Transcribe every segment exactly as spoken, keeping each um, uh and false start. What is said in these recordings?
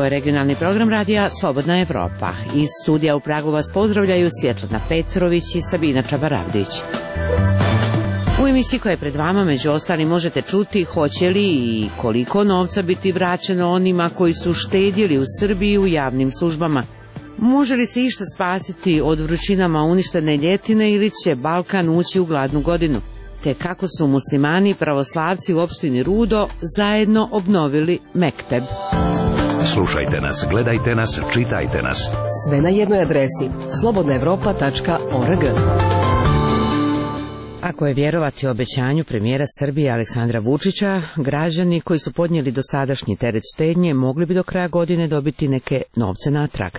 je regionalni program radija Slobodna Evropa. Iz studija u Pragu vas pozdravljaju Svjetlana Petrović i Sabina Čabaravdić. U emisiji koja je pred vama, među ostalim, možete čuti hoće li i koliko novca biti vraćeno onima koji su štedjeli u Srbiji u javnim službama. Može li se išta spasiti od vrućinama uništene ljetine ili će Balkan ući u gladnu godinu? Te kako su muslimani i pravoslavci u opštini Rudo zajedno obnovili mekteb. Slušajte nas, gledajte nas, čitajte nas. Sve na jednoj adresi slobodna evropa tačka org. Ako je vjerovati obećanju premijera Srbije Aleksandra Vučića, građani koji su podnijeli dosadašnji teret štednje mogli bi do kraja godine dobiti neke novce natrag.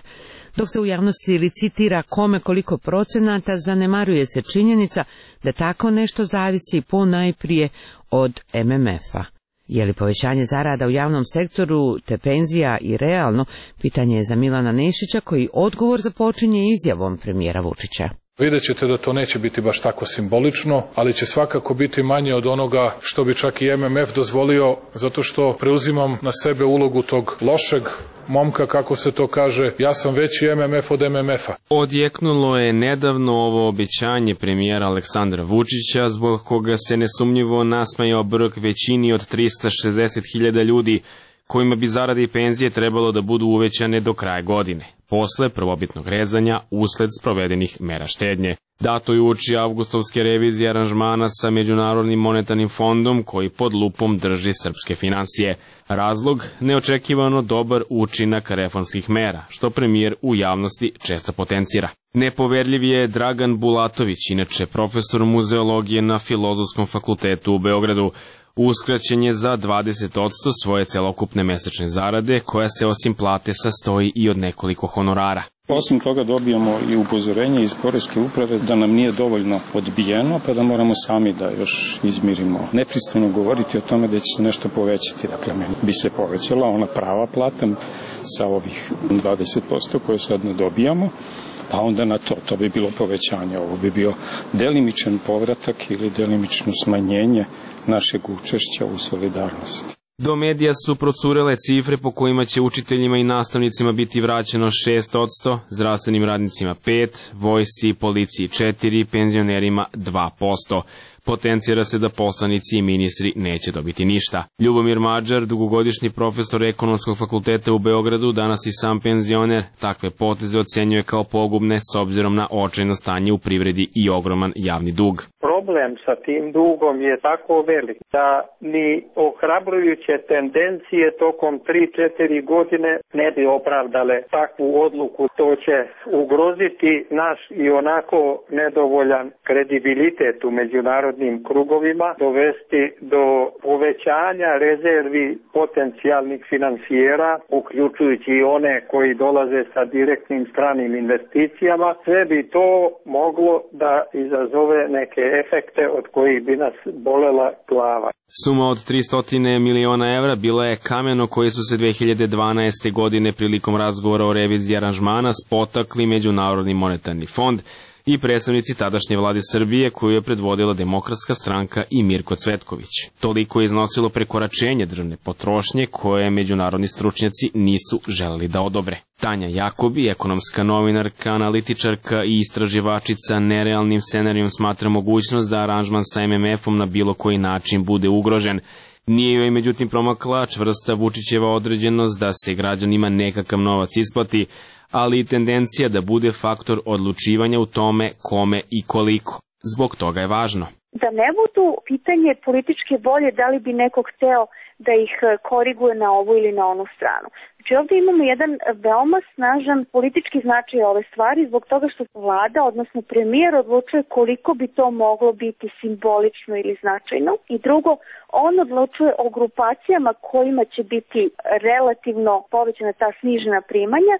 Dok se u javnosti licitira kome koliko procenata, zanemaruje se činjenica da tako nešto zavisi po najprije od em em efa. Je li povećanje zarada u javnom sektoru te penzija i realno, pitanje je za Milana Nešića koji odgovor započinje izjavom premijera Vučića. Vidjet ćete da to neće biti baš tako simbolično, ali će svakako biti manje od onoga što bi čak i em em ef dozvolio, zato što preuzimam na sebe ulogu tog lošeg momka, kako se to kaže, ja sam veći em em ef od em em efa. Odjeknulo je nedavno ovo obećanje premijera Aleksandra Vučića, zbog koga se nesumnjivo nasmejao brk većini od trista šezdeset hiljada ljudi, kojima bi zarade i penzije trebalo da budu uvećane do kraja godine, posle prvobitnog rezanja usled sprovedenih mera štednje. Dato je uoči avgustovske revizije aranžmana sa Međunarodnim monetarnim fondom koji pod lupom drži srpske finansije. Razlog, neočekivano dobar učinak reformskih mera, što premijer u javnosti često potencira. Nepoverljiv je Dragan Bulatović, inače profesor muzeologije na Filozofskom fakultetu u Beogradu. Uskraćen je za dvadeset posto svoje celokupne mesečne zarade, koja se osim plate sastoji i od nekoliko honorara. Osim toga dobijamo i upozorenje iz poreske uprave da nam nije dovoljno odbijeno, pa da moramo sami da još izmirimo. Nepristojno govoriti o tome da će se nešto povećati. Dakle, meni bi se povećala ona prava plata sa ovih dvadeset posto koje sad ne dobijamo, pa onda na to, to bi bilo povećanje. Ovo bi bio delimičan povratak ili delimično smanjenje našeg učešća u solidarnosti. Do medija su procurele cifre po kojima će učiteljima i nastavnicima biti vraćeno šest posto, zdravstvenim radnicima pet posto, vojsci i policiji četiri posto, penzionerima dva posto. Potencira se da poslanici i ministri neće dobiti ništa. Ljubomir Mađar, dugogodišnji profesor Ekonomskog fakulteta u Beogradu, danas i sam penzioner, takve poteze ocenjuje kao pogubne s obzirom na očajno stanje u privredi i ogroman javni dug. Problem sa tim dugom je tako velik da ni ohrabrujuće tendencije tokom tri do četiri godine ne bi opravdale takvu odluku. To će ugroziti naš i onako nedovoljan kredibilitet u međunarodnim krugovima, dovesti do povećanja rezervi potencijalnih finansijera, uključujući i one koji dolaze sa direktnim stranim investicijama. Sve bi to moglo da izazove neke efekte od kojih bi nas bolela glava. Suma od tristo miliona evra bila je kameno koje su se dve hiljade dvanaeste. godine prilikom razgovora o reviziji aranžmana spotakli Međunarodni monetarni fond i predstavnici tadašnje vlade Srbije koju je predvodila Demokratska stranka i Mirko Cvetković. Toliko je iznosilo prekoračenje državne potrošnje koje međunarodni stručnjaci nisu želeli da odobre. Tanja Jakobi, ekonomska novinarka, analitičarka i istraživačica, nerealnim scenarijom smatra mogućnost da aranžman sa em em efom na bilo koji način bude ugrožen. Nije joj međutim promakla čvrsta Vučićeva određenost da se građanima nekakav novac isplati, ali i tendencija da bude faktor odlučivanja u tome kome i koliko. Zbog toga je važno da ne budu pitanje političke volje da li bi neko hteo da ih koriguje na ovu ili na onu stranu. Znači ovdje imamo jedan veoma snažan politički značaj ove stvari zbog toga što vlada, odnosno premijer, odlučuje koliko bi to moglo biti simbolično ili značajno. I drugo, on odlučuje o grupacijama kojima će biti relativno povećana ta snižena primanja,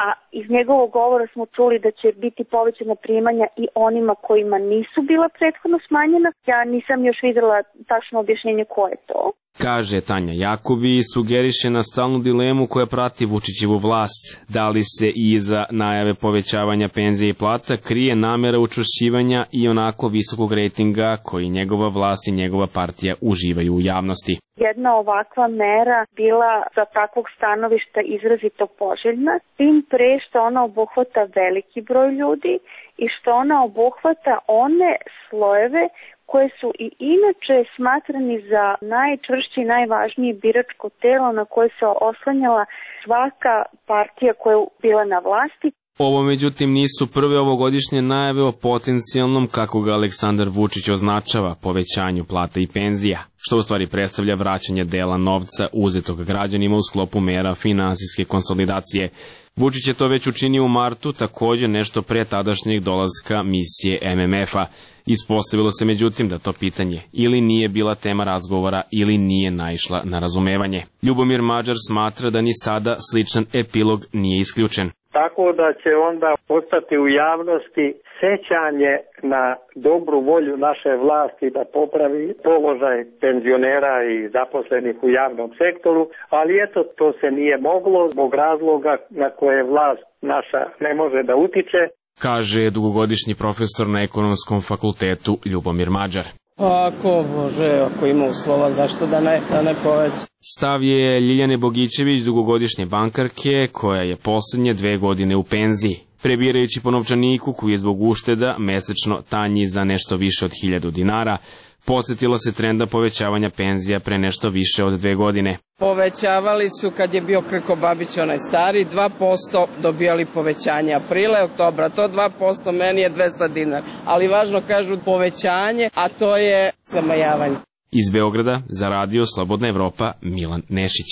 a iz njegovog govora smo čuli da će biti povećana primanja i onima kojima nisu bila prethodno smanjena. Ja nisam još videla tačno objašnjenje ko je to. Kaže Tanja Jakobi i sugeriše na stalnu dilemu koja prati Vučićevu vlast. Da li se i iza najave povećavanja penzije i plata krije namera učvršćivanja i onako visokog rejtinga koji njegova vlast i njegova partija uživaju u javnosti. jedna ovakva mera bila sa takvog stanovišta izrazito poželjna, tim pre što ona obuhvata veliki broj ljudi i što ona obuhvata one slojeve koje su i inače smatrani za najčvršće i najvažnije biračko telo na koje se oslanjala svaka partija koja je bila na vlasti. Ovo međutim nisu prve ovogodišnje najave o potencijalnom, kako ga Aleksandar Vučić označava, povećanju plata i penzija, što u stvari predstavlja vraćanje dela novca uzetog građanima u sklopu mera finansijske konsolidacije. Vučić je to već učinio u martu, također nešto pre tadašnjeg dolaska misije M M F-a. Ispostavilo se međutim da to pitanje ili nije bila tema razgovora ili nije naišla na razumevanje. Ljubomir Mađar smatra da ni sada sličan epilog nije isključen. Tako da će onda ostati u javnosti sećanje na dobru volju naše vlasti da popravi položaj penzionera i zaposlenih u javnom sektoru, ali eto, to se nije moglo zbog razloga na koje vlast naša ne može da utiče, kaže dugogodišnji profesor na Ekonomskom fakultetu Ljubomir Mađar. Ako može, ako ima uslova, zašto da ne, da ne poveća. Stav je Ljiljane Bogićević, dugogodišnje bankarke, koja je poslednje dve godine u penziji. Prebirajući po novčaniku koji je zbog ušteda mesečno tanji za nešto više od hiljadu dinara, podsjetila se trenda povećavanja penzija pre nešto više od dve godine. Povećavali su kad je bio Krko Babić onaj stari, dva posto dobijali povećanje aprile, oktobra, to dva posto meni je dvesta dinara, ali važno kažu povećanje, a to je zamajavanje. Iz Beograda za radio Slobodna Evropa, Milan Nešić.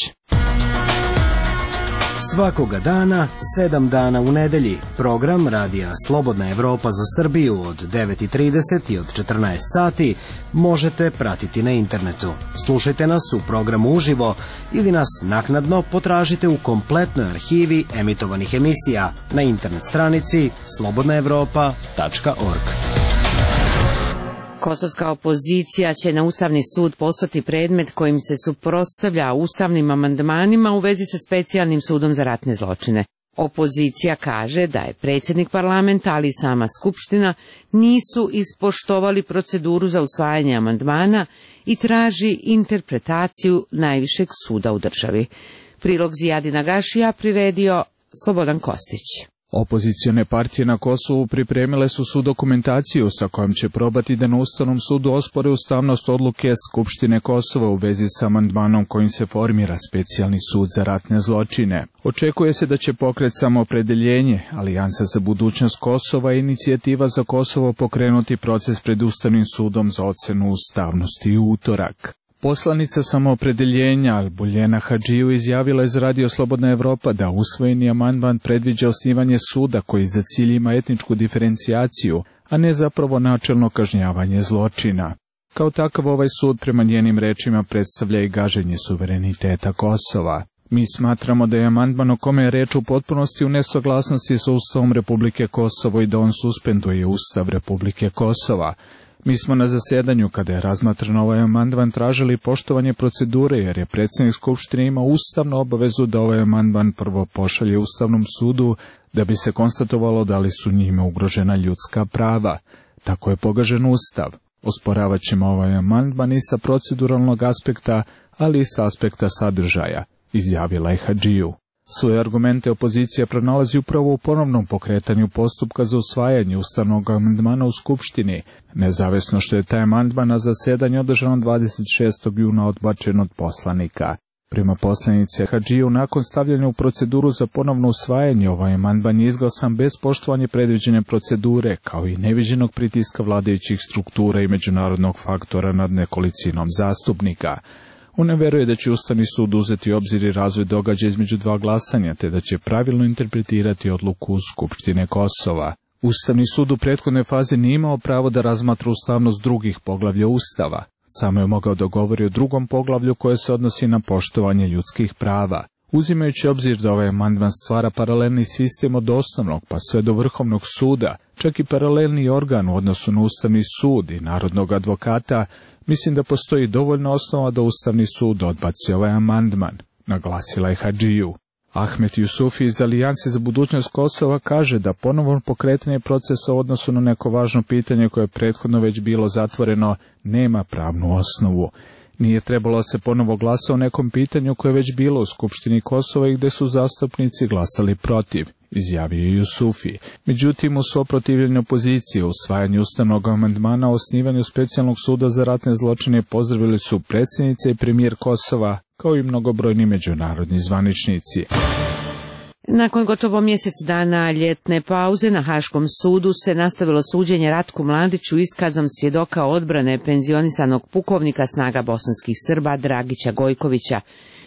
Svakoga dana, sedam dana u nedelji, program radija Slobodna Evropa za Srbiju od devet i trideset i od četrnaest sati možete pratiti na internetu. Slušajte nas u programu uživo ili nas naknadno potražite u kompletnoj arhivi emitovanih emisija na internet stranici slobodna evropa tačka org. Kosovska opozicija će na Ustavni sud poslati predmet kojim se suprotstavlja ustavnim amandmanima u vezi sa specijalnim sudom za ratne zločine. Opozicija kaže da je predsjednik parlamenta, ali i sama Skupština, nisu ispoštovali proceduru za usvajanje amandmana i traži interpretaciju najvišeg suda u državi. Prilog Zijadina Gašija priredio Slobodan Kostić. Opozicione partije na Kosovu pripremile su su dokumentaciju sa kojom će probati da na Ustavnom sudu ospore ustavnost odluke Skupštine Kosova u vezi sa amandmanom kojim se formira specijalni sud za ratne zločine. Očekuje se da će pokret Samoopredeljenje, Alijansa za budućnost Kosova i Inicijativa za Kosovo pokrenuti proces pred Ustavnim sudom za ocenu ustavnosti u utorak. Poslanica Samoopredeljenja Albuljena Hadžiju izjavila je za radio Slobodna Evropa da usvojeni amandman predviđa osnivanje suda koji za cilj ima etničku diferencijaciju, a ne zapravo načelno kažnjavanje zločina. Kao takav ovaj sud prema njenim rečima predstavlja i gaženje suvereniteta Kosova. Mi smatramo da je amandman o kome je reč u potpunosti u nesaglasnosti sa Ustavom Republike Kosovo i da on suspenduje Ustav Republike Kosova. Mi smo na zasedanju, kada je razmatran ovaj amandman, tražili poštovanje procedure, jer je predsjednik Skupštine imao ustavnu obavezu da ovaj amandman prvo pošalje Ustavnom sudu, da bi se konstatovalo da li su njime ugrožena ljudska prava. Tako je pogažen Ustav. Osporavat ćemo ovaj amandman i sa proceduralnog aspekta, ali i sa aspekta sadržaja, izjavila je Hadžiju. Svoje argumente opozicija pronalazi upravo u ponovnom pokretanju postupka za usvajanje ustavnog amandmana u Skupštini, nezavisno što je taj amandman na zasedanju održano dvadeset šestog juna odbačen od poslanika. Prema poslanice Hadžiju, nakon stavljanja u proceduru za ponovno usvajanje, ovaj amandman je izglasan bez poštovanja predviđene procedure, kao i neviđenog pritiska vladajućih struktura i međunarodnog faktora nad nekolicinom zastupnika. On ne veruje da će Ustavni sud uzeti u obzir i razvoj događaja između dva glasanja, te da će pravilno interpretirati odluku Skupštine Kosova. Ustavni sud u prethodnoj fazi nije imao pravo da razmatra ustavnost drugih poglavlja Ustava. Samo je mogao da govori o drugom poglavlju koje se odnosi na poštovanje ljudskih prava. Uzimajući obzir da ovaj amandman stvara paralelni sistem od osnovnog pa sve do Vrhovnog suda, čak i paralelni organ u odnosu na Ustavni sud i narodnog advokata, mislim da postoji dovoljna osnova da Ustavni sud odbaci ovaj amandman, naglasila je Hadžiju. Ahmet Jusufi iz Alijanse za budućnost Kosova kaže da ponovno pokretanje procesa u odnosu na neko važno pitanje koje je prethodno već bilo zatvoreno nema pravnu osnovu. Nije trebalo se ponovo glasa o nekom pitanju koje je već bilo u Skupštini Kosova i gde su zastupnici glasali protiv, izjavio je Jusufi. Međutim, u suprotivljenju opozicije u usvajanju ustavnog amandmana o osnivanju specijalnog suda za ratne zločine pozdravili su predsjednica i premijer Kosova, kao i mnogobrojni međunarodni zvaničnici. Nakon gotovo mjesec dana ljetne pauze na Haškom sudu se nastavilo suđenje Ratku Mladiću iskazom svjedoka odbrane penzionisanog pukovnika snaga bosanskih Srba Dragića Gojkovića.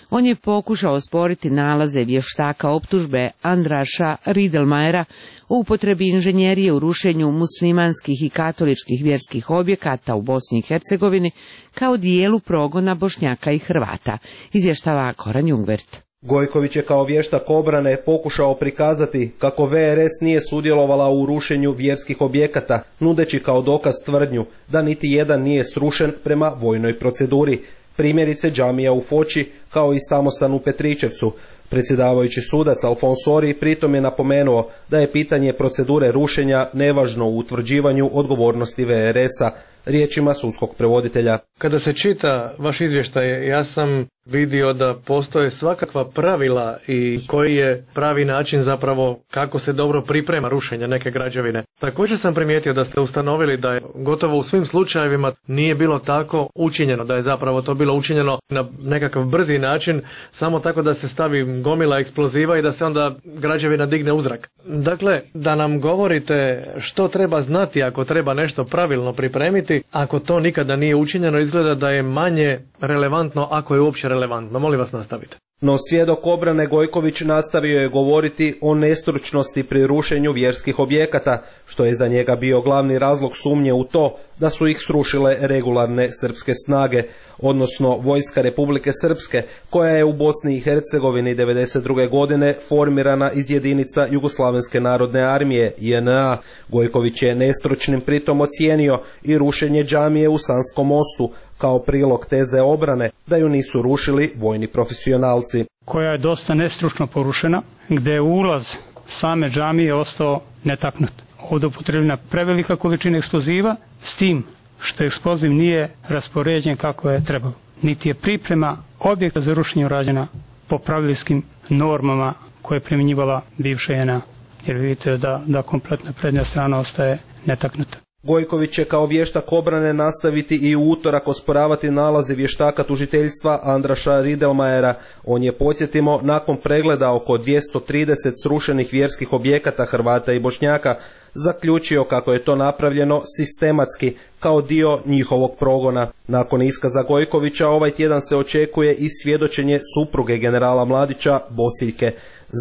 On je pokušao osporiti nalaze vještaka optužbe Andraša Ridelmajera o upotrebi inženjerije u rušenju muslimanskih i katoličkih vjerskih objekata u Bosni i Hercegovini kao dijelu progona Bošnjaka i Hrvata, izvještava Goran Jungwirth. Gojković je kao vještak obrane pokušao prikazati kako V R S nije sudjelovala u rušenju vjerskih objekata, nudeći kao dokaz tvrdnju da niti jedan nije srušen prema vojnoj proceduri, primjerice džamija u Foči kao i samostan u Petričevcu. Predsjedavajući sudac Alfonsori pritom je napomenuo da je pitanje procedure rušenja nevažno u utvrđivanju odgovornosti V R S-a, riječima sudskog prevoditelja. Kada se čita vaš izvještaj, ja sam vidio da postoje svakakva pravila i koji je pravi način zapravo kako se dobro priprema rušenje neke građevine. Također sam primijetio da ste ustanovili da je gotovo u svim slučajevima nije bilo tako učinjeno, da je zapravo to bilo učinjeno na nekakav brzi način, samo tako da se stavi gomila eksploziva i da se onda građevina digne u zrak. Dakle, da nam govorite što treba znati ako treba nešto pravilno pripremiti, ako to nikada nije učinjeno, izgleda da je manje relevantno ako je uopće relevantno. Molim vas, nastavite. No svjedok obrane Gojković nastavio je govoriti o nestručnosti pri rušenju vjerskih objekata, što je za njega bio glavni razlog sumnje u to da su ih srušile regularne srpske snage, odnosno Vojska Republike Srpske, koja je u Bosni i Hercegovini devedeset druge godine formirana iz jedinica Jugoslavenske narodne armije J N A. Gojković je nestručnim pritom ocijenio i rušenje džamije u Sanskom mostu, kao prilog teze obrane da ju nisu rušili vojni profesionalci. Koja je dosta nestručno porušena, gdje je ulaz same džamije ostao netaknut. Ovdje upotrebljena prevelika količina eksploziva, s tim što eksploziv nije raspoređen kako je trebalo. Niti je priprema objekta za rušenje urađena po pravilijskim normama koje je primjenjivala bivša J N A. Jer vidite da, da kompletna prednja strana ostaje netaknuta. Gojković će kao vještak obrane nastaviti i u utorak osporavati nalaze vještaka tužiteljstva Andraša Ridelmajera. On je, podsjetimo, nakon pregleda oko dvjesto trideset srušenih vjerskih objekata Hrvata i Bošnjaka, zaključio kako je to napravljeno sistematski kao dio njihovog progona. Nakon iskaza Gojkovića ovaj tjedan se očekuje i svjedočenje supruge generala Mladića, Bosiljke.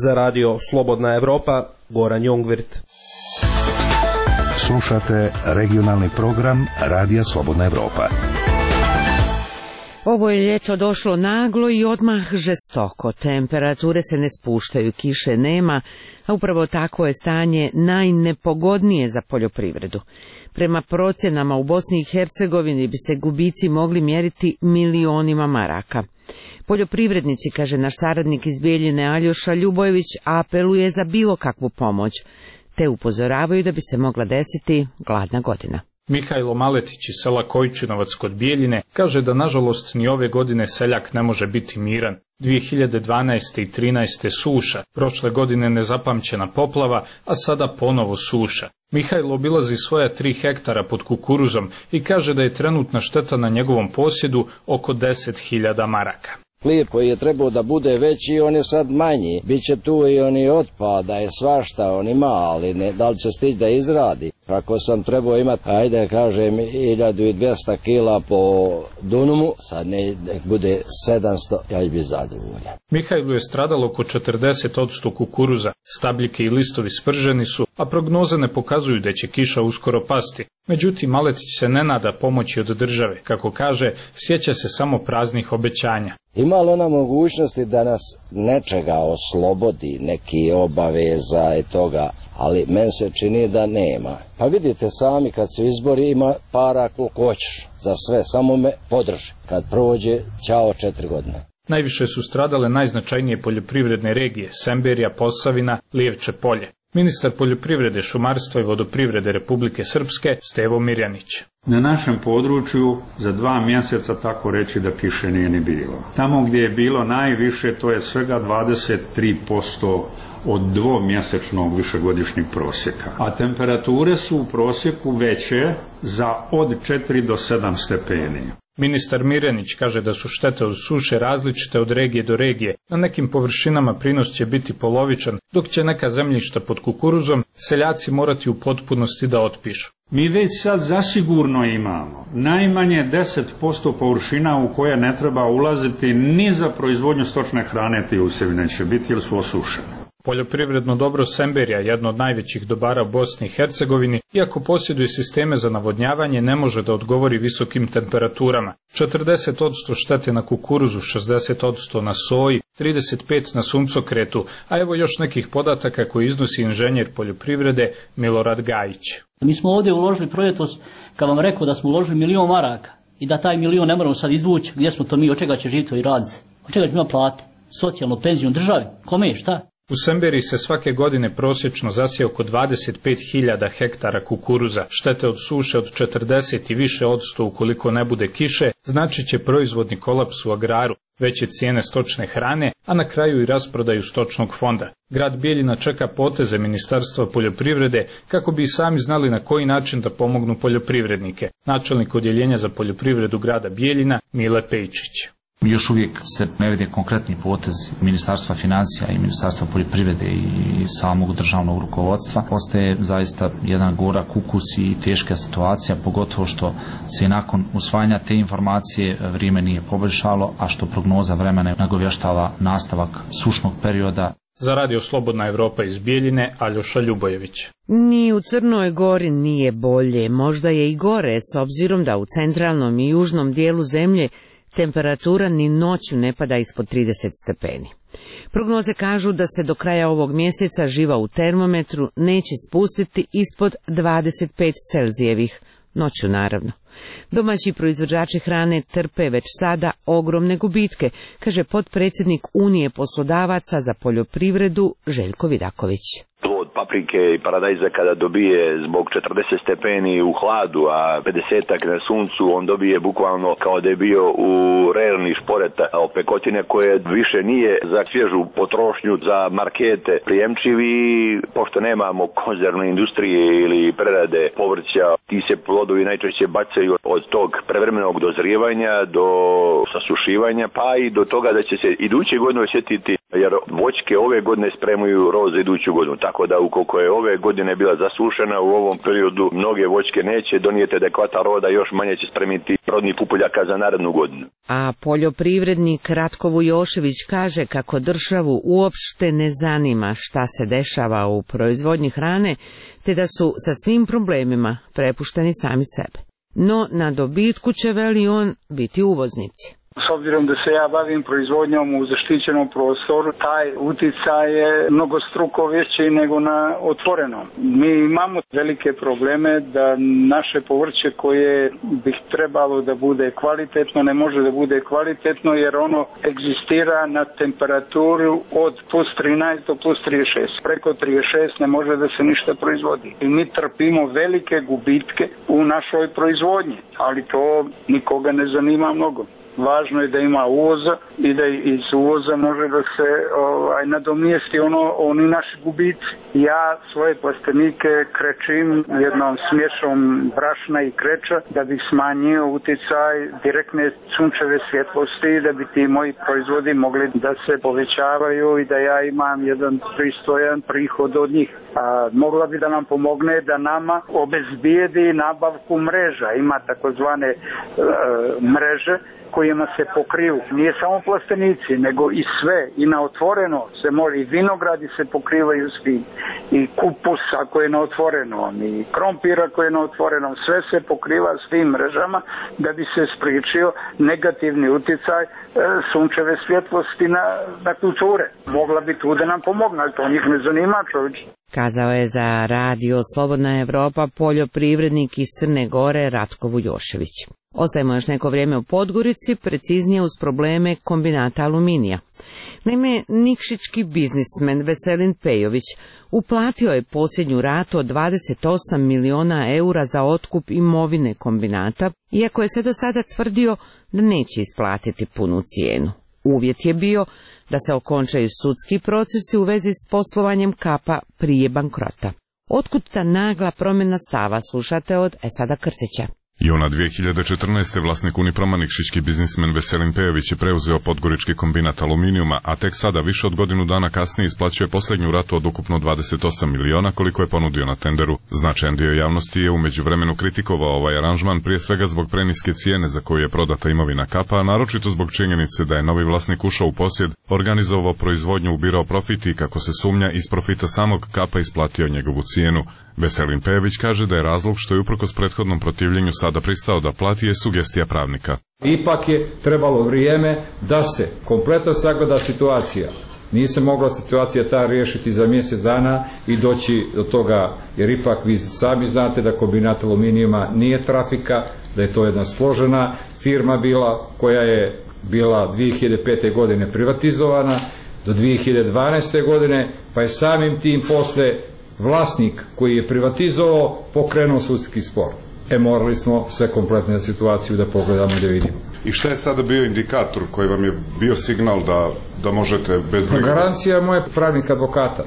Za radio Slobodna Evropa, Goran Jungwirth. Slušate regionalni program Radija Slobodna Evropa. Ovo je ljeto došlo naglo i odmah žestoko. Temperature se ne spuštaju, kiše nema, a upravo takvo je stanje najnepogodnije za poljoprivredu. Prema procjenama u Bosni i Hercegovini bi se gubici mogli mjeriti milionima maraka. Poljoprivrednici, kaže naš saradnik iz Bijeljine Aljoša Ljubojević, apeluje za bilo kakvu pomoć, te upozoravaju da bi se mogla desiti gladna godina. Mihajlo Maletić iz sela Kojčinovac kod Bijeljine kaže da nažalost ni ove godine seljak ne može biti miran. dvije hiljade dvanaeste. i trinaeste. suša, prošle godine nezapamćena poplava, a sada ponovo suša. Mihajlo obilazi svoja tri hektara pod kukuruzom i kaže da je trenutna šteta na njegovom posjedu oko deset hiljada maraka. Pliv koji je trebao da bude veći, on je sad manji. Biće tu i oni otpada, je svašta on ima, ali ne, da li će stići da izradi. Ako sam trebao imati, ajde kažem, hiljadu dvjesto kila po dunumu, sad ne bude sedamsto, ja bi zadovoljan. Mihajlu je stradalo oko četrdeset posto kukuruza, stabljike i listovi sprženi su, a prognoze ne pokazuju da će kiša uskoro pasti. Međutim, Maletić se ne nada pomoći od države, kako kaže, sjeća se samo praznih obećanja. Ima li ona mogućnosti da nas nečega oslobodi, neki obaveza i toga, ali meni se čini da nema. Pa vidite sami, kad su izbori, ima para koliko hoćeš za sve, samo me podrži. Kad prođe, ćao četiri godine. Najviše su stradale najznačajnije poljoprivredne regije, Semberija, Posavina, Lijevče polje. Ministar poljoprivrede, šumarstva i vodoprivrede Republike Srpske Stevo Mirjanić. Na našem području za dva mjeseca tako reći da kiše nije ni bilo. Tamo gdje je bilo najviše to je svega dvadeset tri posto od dvomjesečnog višegodišnjeg prosjeka. A temperature su u prosjeku veće za od četiri do sedam stepeni. Ministar Mirjanić kaže da su štete od suše različite od regije do regije. Na nekim površinama prinos će biti polovičan, dok će neka zemljišta pod kukuruzom seljaci morati u potpunosti da otpišu. Mi već sad zasigurno imamo najmanje deset posto površina u koje ne treba ulaziti ni za proizvodnju stočne hrane, ti usjevi neće biti jer su osušene. Poljoprivredno dobro Semberija, jedno od najvećih dobara u Bosni i Hercegovini, iako posjeduje sisteme za navodnjavanje, ne može da odgovori visokim temperaturama. četrdeset posto štete na kukuruzu, šezdeset posto na soji, trideset pet posto na suncokretu, a evo još nekih podataka koji iznosi inženjer poljoprivrede Milorad Gajić. Mi smo ovdje uložili projektos, kad vam rekao da smo uložili milion maraka i da taj milion ne moramo sad izvući, gdje smo to mi, od čega će živjeti i raditi, od čega će ima plate, socijalnu penziju državi, kome je šta? U Semberiji se svake godine prosječno zasije oko dvadeset pet hiljada hektara kukuruza. Štete od suše od četrdeset i više odsto ukoliko ne bude kiše, znači će proizvodni kolaps u agraru, veće cijene stočne hrane, a na kraju i rasprodaju stočnog fonda. Grad Bijeljina čeka poteze Ministarstva poljoprivrede kako bi i sami znali na koji način da pomognu poljoprivrednike. Načelnik odjeljenja za poljoprivredu grada Bijeljina Mile Pejčić. Još uvijek se ne vide konkretni potez Ministarstva financija i Ministarstva poljoprivrede i samog državnog rukovodstva. Postaje zaista jedan gorak ukus i teška situacija, pogotovo što se nakon usvajanja te informacije vrijeme nije poboljšalo, a što prognoza vremena nagovještava nastavak sušnog perioda. Za Radio Slobodna Evropa iz Bijeljine, Aljoša Ljubojević. Ni u Crnoj Gori nije bolje, možda je i gore, s obzirom da u centralnom i južnom dijelu zemlje temperatura ni noću ne pada ispod trideset stepeni. Prognoze kažu da se do kraja ovog mjeseca živa u termometru neće spustiti ispod dvadeset pet Celzijevih, noću naravno. Domaći proizvođači hrane trpe već sada ogromne gubitke, kaže potpredsjednik Unije poslodavaca za poljoprivredu Željko Vidaković. Plod paprike i paradajza kada dobije zbog četrdeset stepeni u hladu, a pedesetak na suncu, on dobije bukvalno kao da je bio u rerni šporeta opekotine koje više nije za svježu potrošnju, za markete prijemčivi, pošto nemamo konzervne industrije ili prerade povrća, ti se plodovi najčešće bacaju od tog prevremenog dozrijevanja do sasušivanja, pa i do toga da će se iduće godine osjetiti, jer voćke ove godine spremaju roz za iduću godinu. Tako da ukoliko je ove godine bila zasušena, u ovom periodu mnoge voćke neće donijeti adekvatan roda, još manje će spremiti rodnih pupoljaka za narednu godinu. A poljoprivrednik Ratko Vujošević kaže kako državu uopšte ne zanima šta se dešava u proizvodnji hrane, te da su sa svim problemima prepušteni sami sebe. No na dobitku će, veli on, biti uvoznici. S obzirom da se ja bavim proizvodnjom u zaštićenom prostoru, taj uticaj je mnogo struko veći nego na otvorenom. Mi imamo velike probleme da naše povrće koje bi trebalo da bude kvalitetno ne može da bude kvalitetno jer ono egzistira na temperaturu od plus trinaest do plus trideset šest. Preko trideset šest ne može da se ništa proizvodi. I mi trpimo velike gubitke u našoj proizvodnji, ali to nikoga ne zanima mnogo. Važno je da ima uvoza i da iz uvoza može da se ovaj, nadomjesti ono, oni naši gubici. Ja svoje plastenike krečim jednom smješom brašna i kreča da bih smanjio uticaj direktne sunčeve svjetlosti i da bi ti moji proizvodi mogli da se povećavaju i da ja imam jedan pristojan prihod od njih. A, mogla bi da nam pomogne da nama obezbijedi nabavku mreža. Ima takozvane e, mreže kojima se pokriju. Nije samo plastenici, nego i sve. I na otvoreno se može, i vinogradi se pokrivaju svi. I kupus ako je na otvorenom, i krompir ako je na otvorenom. Sve se pokriva s tim mrežama da bi se spriječio negativni uticaj e, sunčeve svjetlosti na, na kulture. Mogla bi tu da nam pomogne, ali to njih ne zanima, čovječ. Kazao je za Radio Slobodna Evropa poljoprivrednik iz Crne Gore Ratko Vujošević. Ostajemo još neko vrijeme u Podgorici, preciznije uz probleme kombinata aluminija. Naime, nikšićki biznismen Veselin Pejović uplatio je posljednju ratu od dvadeset osam miliona eura za otkup imovine kombinata, iako je se do sada tvrdio da neće isplatiti punu cijenu. Uvjet je bio da se okončaju sudski procesi u vezi s poslovanjem Kapa prije bankrota. Otkud ta nagla promjena stava, slušate od Esada Krcića. Juna dvije hiljade četrnaeste. vlasnik Uniproma nikšićki biznismen Veselin Pejović je preuzeo podgorički kombinat aluminijuma, a tek sada, više od godinu dana kasnije, isplaćuje posljednju ratu od ukupno dvadeset osam miliona koliko je ponudio na tenderu. Značajan dio javnosti je u međuvremenu kritikovao ovaj aranžman, prije svega zbog preniske cijene za koju je prodata imovina Kapa, a naročito zbog činjenice da je novi vlasnik ušao u posjed, organizovao proizvodnju, ubirao profit i, kako se sumnja, iz profita samog Kapa isplatio njegovu cijenu. Veselin Pejović kaže da je razlog što je uprkos prethodnom protivljenju sada pristao da plati je sugestija pravnika. Ipak je trebalo vrijeme da se kompletno sagleda situacija. Nije se mogla situacija ta riješiti za mjesec dana i doći do toga, jer ipak vi sami znate da kombinat aluminijuma nije trafika, da je to jedna složena firma bila koja je bila dvije hiljade pete. godine privatizovana do dvije hiljade dvanaeste. godine, pa je samim tim posle vlasnik koji je privatizovao pokrenuo sudski spor. E, morali smo sve kompletne situaciju da pogledamo i da vidimo. I šta je sada bio indikator koji vam je bio signal da, da možete bez... Garancija moje pravnika advokata.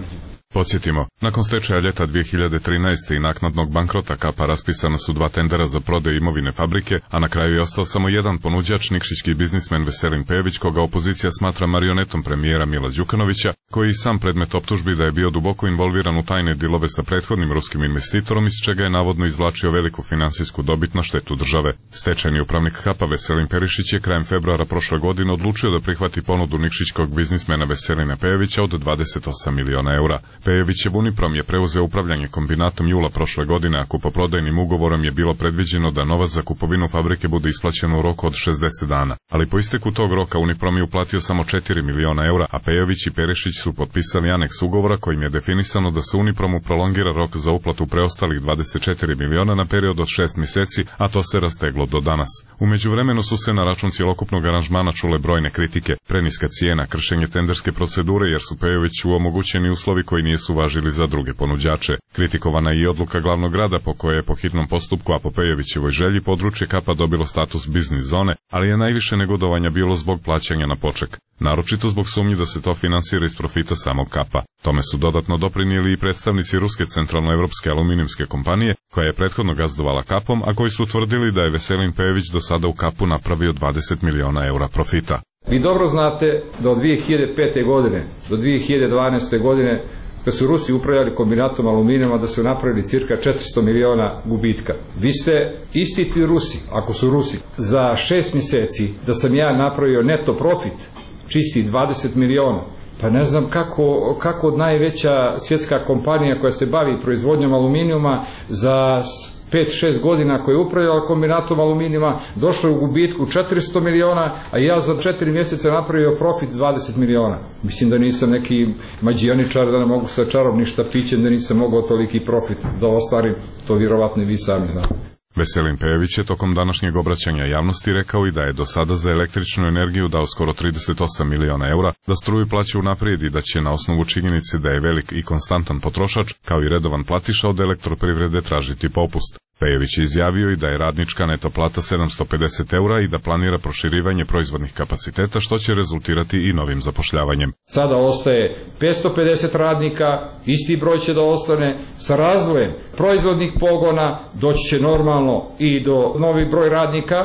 Podsjetimo, nakon stečaja ljeta dvije hiljade trinaeste. i naknadnog bankrota Kapa raspisana su dva tendera za prodaju imovine fabrike, a na kraju je ostao samo jedan ponuđač, nikšićki biznismen Veselin Pejović, koga opozicija smatra marionetom premijera Mila Đukanovića, koji je sam predmet optužbi da je bio duboko involviran u tajne dilove sa prethodnim ruskim investitorom, iz čega je navodno izvlačio veliku finansijsku dobit na štetu države. Stečajni upravnik Kapa Veselin Perišić je krajem februara prošle godine odlučio da prihvati ponudu nikšićkog biznismena Veselina Pejovića od dvadeset osam miliona eura. Pejovićev Uniprom je preuzeo upravljanje kombinatom jula prošle godine, a kupoprodajnim ugovorom je bilo predviđeno da novac za kupovinu fabrike bude isplaćen u roku od šezdeset dana. Ali po isteku tog roka Uniprom je uplatio samo četiri miliona eura, a Pejović i Perišić su potpisali aneks ugovora kojim je definisano da se Unipromu prolongira rok za uplatu preostalih dvadeset četiri miliona na period od šest mjeseci, a to se rasteglo do danas. U međuvremenu su se na račun cjelokupnog aranžmana čule brojne kritike, preniska cijena, kršenje tenderske procedure jer su Pejoviću omogućeni uslovi koji nisu važili za druge ponuđače. Kritikovana je i odluka glavnog grada po kojoj je po hitnom postupku, a po Pejovićevoj želji, područje Kapa dobilo status biznis zone, ali je najviše negodovanja bilo zbog plaćanja na poček. Naročito zbog sumnji da se to finansira iz profita samog Kapa. Tome su dodatno doprinijeli i predstavnici Ruske centralnoevropske aluminijumske kompanije, koja je prethodno gazdovala Kapom, a koji su tvrdili da je Veselin Pejović do sada u Kapu napravio dvadeset miliona eura profita. Vi dobro znate da od dvije hiljade pete. godine do dvije hiljade dvanaeste. godine, kad su Rusi upravljali kombinatom aluminijuma, da su napravili cirka četiristo miliona gubitka. Vi ste isti ti Rusi, ako su Rusi, za šest mjeseci da sam ja napravio neto profit, čisti dvadeset miliona. Pa ne znam kako, kako od najveća svjetska kompanija koja se bavi proizvodnjom aluminijuma za pet šest godina koja je upravljala kombinatom aluminijuma došla u gubitku četiristo miliona, a ja za četiri mjeseca napravio profit dvadeset miliona. Mislim da nisam neki mađioničar, da ne mogu sa čarobnim štapićem, da nisam mogao toliki profit da ostvarim, to vjerovatno i vi sami znate. Veselin Pejović je tokom današnjeg obraćanja javnosti rekao i da je do sada za električnu energiju dao skoro trideset osam miliona eura, da struju plaća unaprijed i da će na osnovu činjenice da je velik i konstantan potrošač, kao i redovan platiša od elektroprivrede, tražiti popust. Pejović je izjavio i da je radnička neto plata sedamsto pedeset eura i da planira proširivanje proizvodnih kapaciteta, što će rezultirati i novim zapošljavanjem. Sada ostaje petsto pedeset radnika, isti broj će da ostane, sa razvojem proizvodnih pogona doći će normalno i do novi broj radnika,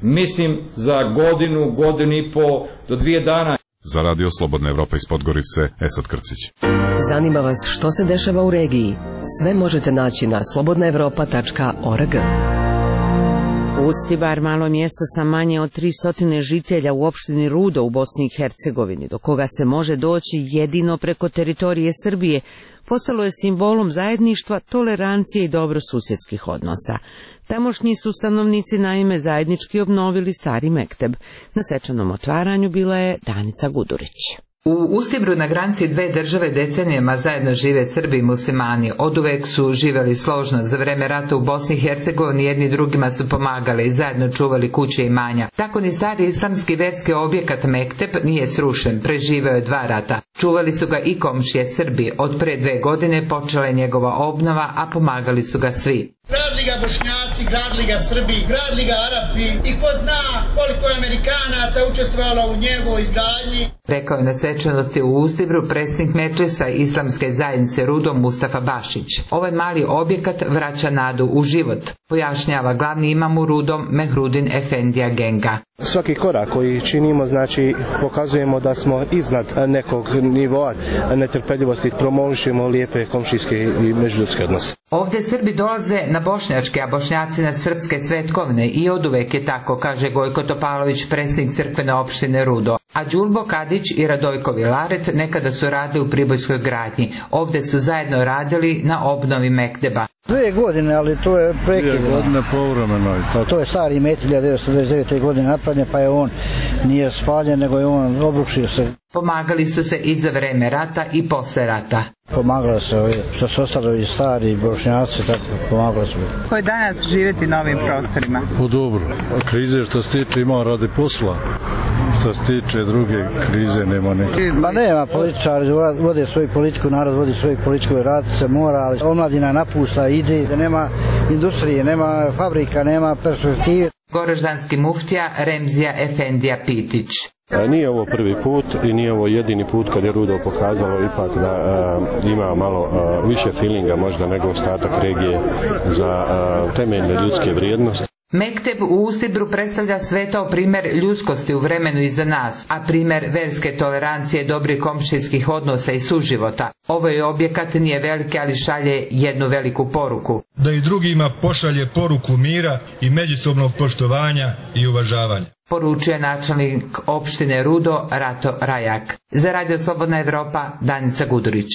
mislim za godinu, godinu i po do dvije dana. Za Radio Slobodna Evropa iz Podgorice, Esad Krcić. Zanima vas što se dešava u regiji? Sve možete naći na slobodna evropa tačka org. Ustibar, malo mjesto sa manje od tristo žitelja u opštini Rudo u Bosni i Hercegovini, do koga se može doći jedino preko teritorije Srbije, postalo je simbolom zajedništva, tolerancije i dobrosusjedskih odnosa. Tamošnji su stanovnici naime zajednički obnovili stari mekteb. Na svečanom otvaranju bila je Danica Gudurić. U Ustibru na granici dve države decenijama zajedno žive Srbi i muslimani. Oduvek su živeli složno. Za vreme rata u Bosni i Hercegovini jedni drugima su pomagali i zajedno čuvali kuće i imanja. Tako ni stari islamski verski objekat Mekteb nije srušen, preživeo je dva rata. Čuvali su ga i komšije Srbi. Od pre dve godine počela je njegova obnova, a pomagali su ga svi. Gradili ga Bošnjaci, gradili ga Srbi, gradili ga Arapi i ko zna koliko je Amerikanaca učestvovalo u njegovoj izgradnji. Rekao je na svečanosti u Ustibru predsjednik Medžlisa Islamske zajednice Rudo Mustafa Bašić. Ovaj mali objekat vraća nadu u život, pojašnjava glavni imam u Rudom Mehrudin Efendija Genga. Svaki korak koji činimo, znači pokazujemo da smo iznad nekog nivoa netrpeljivosti, promovišemo lijepe komšijske i međuljudske odnose. Ovdje Srbi dolaze na bošnjačke, a Bošnjaci na srpske svetkovne i oduvek je tako, kaže Gojko Topalović, predsjednik crkvene opštine Rudo. A Đulbo Kadić i Radojko Vilaret nekada su radili u Pribojskoj gradnji. Ovdje su zajedno radili na obnovi Mekteba. Dve godine, ali to je prekidno. Dve godine povremeno. To je stari met hiljadu devetsto devedeset devete. godine napravljen, pa je on nije spaljen, nego je on obrušio se. Pomagali su se i za vreme rata i posle rata. Pomagalo se ovi, što su ostali stari Bošnjaci, tako pomagalo se. Ko je danas živjeti na ovim prostorima? Po dobro. Krize što se tiče ima radi posla. Što se tiče druge krize nema neke. Ma nema, političari vode svoju politiku, narod vodi svoju politiku, rad se mora, ali omladina napusta, ide, da nema industrije, nema fabrika, nema perspektive. Goraždanski muftija Remzija Efendija Pitić. Nije ovo prvi put i nije ovo jedini put kad je Rudo pokazalo ipak da uh, ima malo uh, više feelinga možda nego ostatak regije za uh, temeljne ljudske vrijednosti. Mekteb u Ustibru predstavlja svetao primjer ljudskosti u vremenu iza nas, a primjer verske tolerancije, dobrih komšijskih odnosa i suživota. Ovaj objekat nije veliki, ali šalje jednu veliku poruku. Da i drugima pošalje poruku mira i međusobnog poštovanja i uvažavanja. Poručuje načelnik opštine Rudo Rato Rajak. Za Radio Slobodna Evropa, Danica Gudurić.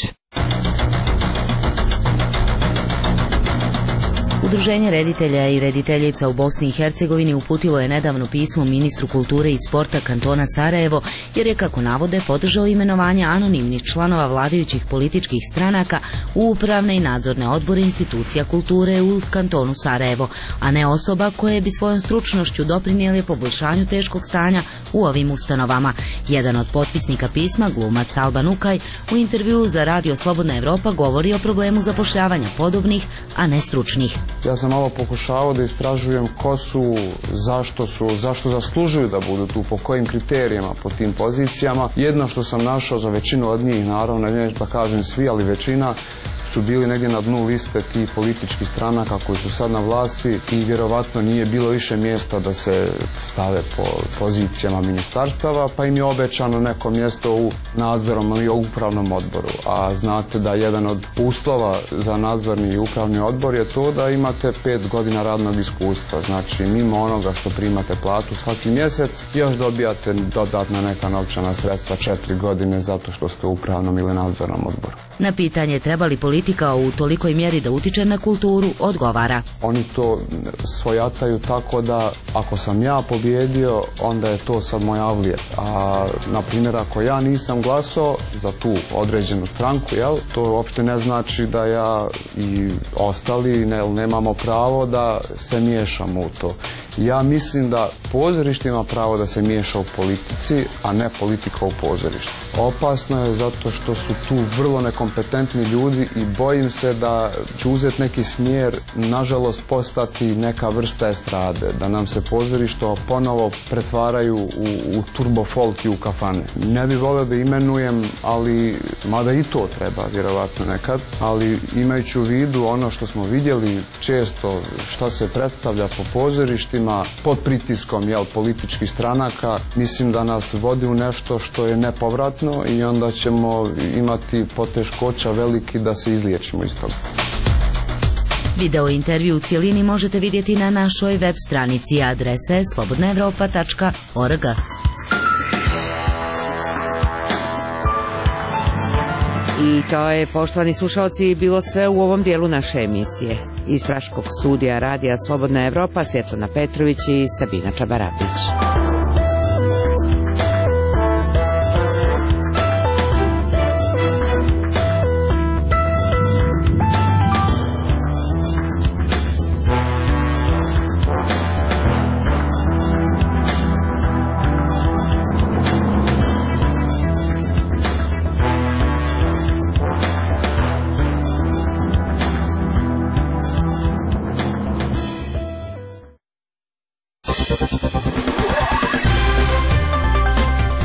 Udruženje reditelja i rediteljica u Bosni i Hercegovini uputilo je nedavno pismo ministru kulture i sporta kantona Sarajevo, jer je, kako navode, podržao imenovanje anonimnih članova vladajućih političkih stranaka u upravne i nadzorne odbore institucija kulture u kantonu Sarajevo, a ne osoba koje bi svojom stručnošću doprinijeli poboljšanju teškog stanja u ovim ustanovama. Jedan od potpisnika pisma, glumac Alban Ukaj, u intervjuu za Radio Slobodna Evropa govori o problemu zapošljavanja podobnih, a ne stručnih. Ja sam malo pokušavao da istražujem ko su, zašto su, zašto zaslužuju da budu tu, po kojim kriterijama, po tim pozicijama. Jedno što sam našao za većinu od njih, naravno, neću da kažem svi, ali većina su bili negdje na dnu liste tih političkih stranaka koji su sad na vlasti i vjerovatno nije bilo više mjesta da se stave po pozicijama ministarstava, pa im je obećano neko mjesto u nadzorom ili upravnom odboru. A znate da jedan od uslova za nadzorni i upravni odbor je to da imate pet godina radnog iskustva. Znači, mimo onoga što primate platu svaki mjesec, još dobijate dodatna neka novčana sredstva četiri godine zato što ste u upravnom ili nadzornom odboru. Na pitanje treba li politika u tolikoj mjeri da utiče na kulturu, odgovara. Oni to svojataju tako da ako sam ja pobjedio, onda je to sad moj avlijet. A, na primjer, ako ja nisam glasao za tu određenu stranku, jel, to uopšte ne znači da ja i ostali ne, nemamo pravo da se miješamo u to. Ja mislim da pozorište ima pravo da se miješa u politici, a ne politika u pozorištu. Opasno je zato što su tu vrlo nekompetentni ljudi i bojim se da će uzeti neki smjer, nažalost postati neka vrsta estrade, da nam se pozorišta ponovo pretvaraju u, u turbo folk i u kafane. Ne bi volio da imenujem, ali mada i to treba vjerovatno nekad, ali imajući u vidu ono što smo vidjeli često, šta se predstavlja po pozorištima, pod pritiskom jel, političkih stranaka, mislim da nas vodi u nešto što je nepovratno i onda ćemo imati poteškoća veliki da se izliječimo iz toga. Video intervju u cijelini možete vidjeti na našoj web stranici, adrese slobodna evropa tačka org. I to je, poštovani slušalci, bilo sve u ovom dijelu naše emisije. Iz Praškog studija Radija Slobodna Evropa, Svjetlana Petrović i Sabina Čabarapić.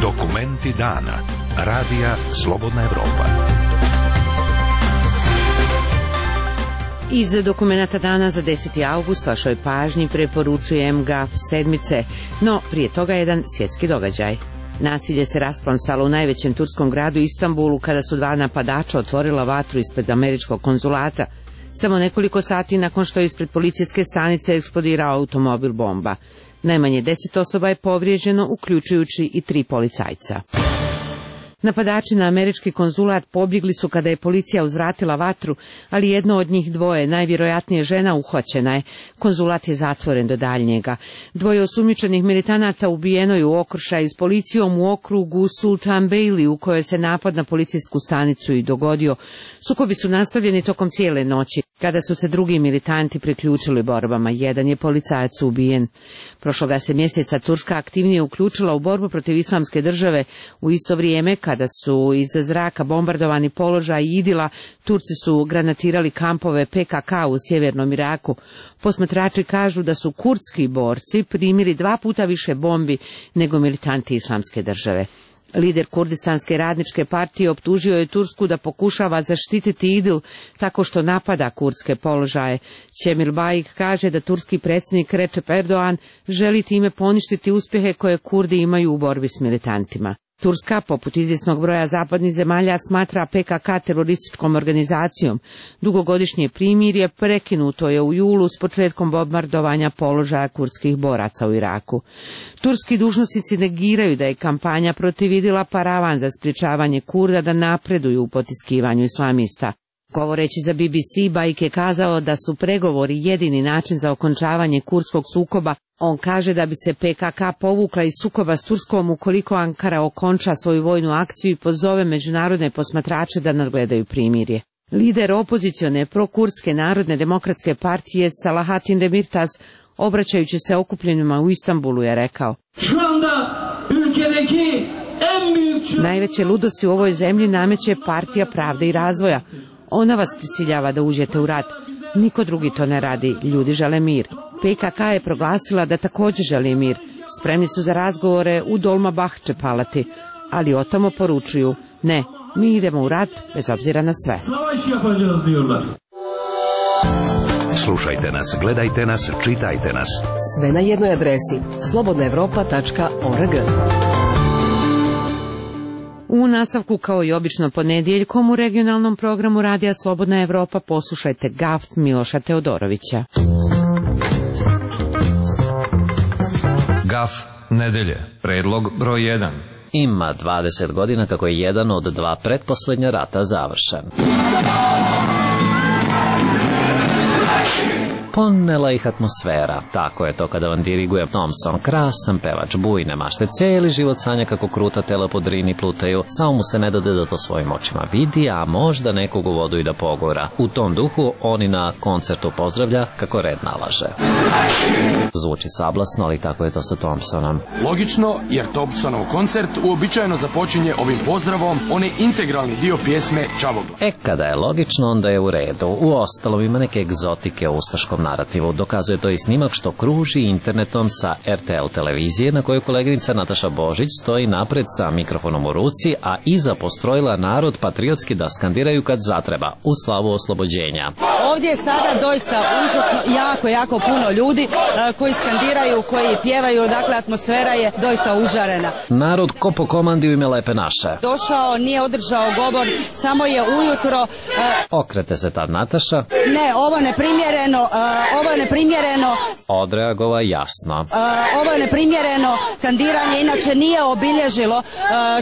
Dokumenti dana. Radija Slobodna Evropa. Iz dokumenata dana za deseti avgust vašoj pažnji preporučujem Gaf sedmice, no prije toga jedan svjetski događaj. Nasilje se rasplomsalo u najvećem turskom gradu Istanbulu kada su dva napadača otvorila vatru ispred američkog konzulata, samo nekoliko sati nakon što je ispred policijske stanice eksplodirao automobil bomba. Najmanje deset osoba je povrijeđeno, uključujući i tri policajca. Napadači na američki konzulat pobjegli su kada je policija uzvratila vatru, ali jedno od njih dvoje, najvjerojatnije žena, uhvaćena je. Konzulat je zatvoren do daljnjega. Dvoje osumnjičenih militanata ubijeno je u okršaju s policijom u okrugu Sultan Beyli, u kojoj se napad na policijsku stanicu i dogodio. Sukobi su nastavljeni tokom cijele noći, kada su se drugi militanti priključili borbama. Jedan je policajac ubijen. Prošloga se mjeseca Turska aktivnije uključila u borbu protiv islamske države. U isto vrijeme, kada su iz zraka bombardovani položaj Idila, Turci su granatirali kampove P K K u sjevernom Iraku. Posmatrači kažu da su kurdski borci primili dva puta više bombi nego militanti islamske države. Lider Kurdistanske radničke partije optužio je Tursku da pokušava zaštititi Idil tako što napada kurdske položaje. Cemil Bayik kaže da turski predsjednik Recep Erdogan želi time poništiti uspjehe koje Kurdi imaju u borbi s militantima. Turska, poput izvjesnog broja zapadnih zemalja, smatra P K K terorističkom organizacijom. Dugogodišnje primirje prekinuto je u julu s početkom bombardovanja položaja kurdskih boraca u Iraku. Turski dužnosnici negiraju da je kampanja protiv Idila paravan za sprječavanje Kurda da napreduju u potiskivanju islamista. Govoreći za B B C, Bayik je kazao da su pregovori jedini način za okončavanje kurdskog sukoba. On kaže da bi se P K K povukla iz sukoba s Turskom ukoliko Ankara okonča svoju vojnu akciju i pozove međunarodne posmatrače da nadgledaju primirje. Lider opozicione prokurdske narodne demokratske partije Salahatin Demirtas, obraćajući se okupljenima u Istanbulu, je rekao: najveće ludosti u ovoj zemlji nameće Partija pravde i razvoja. Ona vas prisiljava da uđete u rat. Niko drugi to ne radi. Ljudi žele mir. P K K je proglasila da također želi mir. Spremni su za razgovore u Dolmabahče palati, ali o tamo poručuju: ne, mi idemo u rat bez obzira na sve. Slušajte nas, gledajte nas, čitajte nas. Sve na jednoj adresi slobodna evropa tačka org. U nastavku, kao i obično ponedjeljkom, u regionalnom programu Radija Slobodna Evropa poslušajte Gaf Miloša Teodorovića. Gaf nedelje, predlog broj jedan. Ima dvadeset godina kako je jedan od dva pretposljednja rata završen. Ponela ih atmosfera. Tako je to kada vam diriguje Thompson, krasan pevač, bujne mašte, cijeli život sanja kako kruta tela po Drini plutaju, samo mu se ne dade da to svojim očima vidi, a možda nekog u vodu i da pogura. U tom duhu oni na koncertu pozdravlja kako red nalaže. Zvuči sablasno, ali tako je to sa Thompsonom. Logično, jer Thompsonov koncert uobičajeno započinje ovim pozdravom, on je integralni dio pjesme Čavogla. E, kada je logično, onda je u redu. U ostalom ima neke egzotike u ustaškom narativu. Dokazuje to i snimak što kruži internetom sa R T L televizije, na kojoj koleginica Nataša Božić stoji napred sa mikrofonom u ruci, a iza postrojila narod patriotski da skandiraju kad zatreba, u slavu oslobođenja. Ovdje je sada doista užasno jako, jako puno ljudi uh, koji skandiraju, koji pjevaju, dakle atmosfera je doista užarena. Narod ko po komandi u ime Lepe naše. Došao, nije održao govor, samo je ujutro... Uh, Okrete se tad Nataša. Ne, ovo neprimjereno, uh, ovo je neprimjereno. Odreagova jasno. Uh, ovo je neprimjereno, skandiranje inače nije obilježilo uh,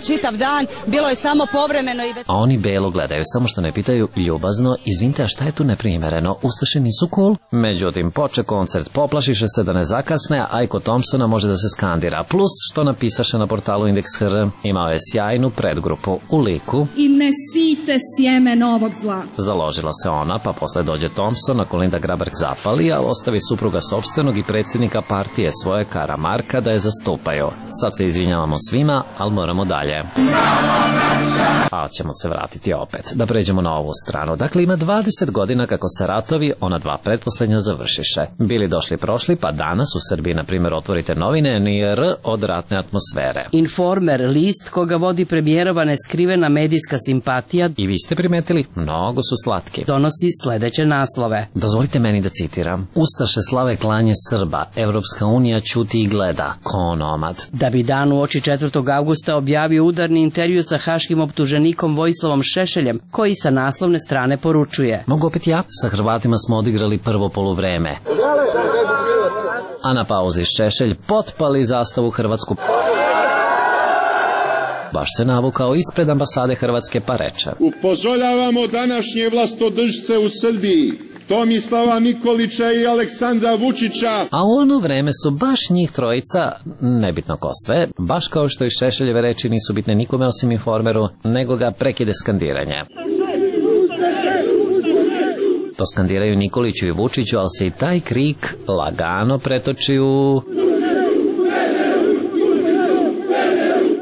čitav dan, bilo je samo povremeno. I... A oni belo gledaju, samo što ne pitaju ljubazno: izvinite, a šta je tu neprimjereno? Ustaše nisu cool? Međutim, poče koncert, poplašiše se da ne zakasne, a Ajko Thompsona može da se skandira. Plus, što napisaše na portalu Indeks.hr, imao je sjajnu predgrupu u liku. I mesite ste sjeme novog zla. Založila se ona, pa posle dođe Thompson, ako Linda Graberg zapali, a ostavi supruga sopstvenog i predsjednika partije svoje Karamarka da je zastupaju. Sad se izvinjavamo svima, ali moramo dalje. A ćemo se vratiti opet. Da pređemo na ovu stranu. Dakle, ima dvadeset godina kako se ratovi, ona dva pretposlednja, završiše. Bili došli prošli, pa danas u Srbiji, na primjer, otvorite novine, ni R od ratne atmosfere. Informer, list koga vodi premijerova neskrivena medijska simpatija. I vi ste primetili, mnogo su slatki. Donosi sledeće naslove. Dozvolite meni da citiram. Ustaše slave klanje Srba, Evropska unija ćuti i gleda, ko onomad. Da bi dan uoči četvrtog avgusta objavio udarni intervju sa haškim optuženikom Vojislavom Šešeljem, koji sa naslovne strane poručuje: Mogu opet ja? Sa Hrvatima smo odigrali prvo poluvreme. A na pauzi Šešelj potpali zastavu hrvatsku. Baš se navukao ispred ambasade Hrvatske pa reče: Upozoravamo današnje vlastodržce u Srbiji, Tomislava Nikolića i Aleksandra Vučića. A u ono vreme su baš njih trojica, nebitno ko sve, baš kao što i Šešeljeve reči nisu bitne nikome osim Informeru, nego ga prekide skandiranje. To skandiraju Nikoliću i Vučiću, ali se i taj krik lagano pretoči u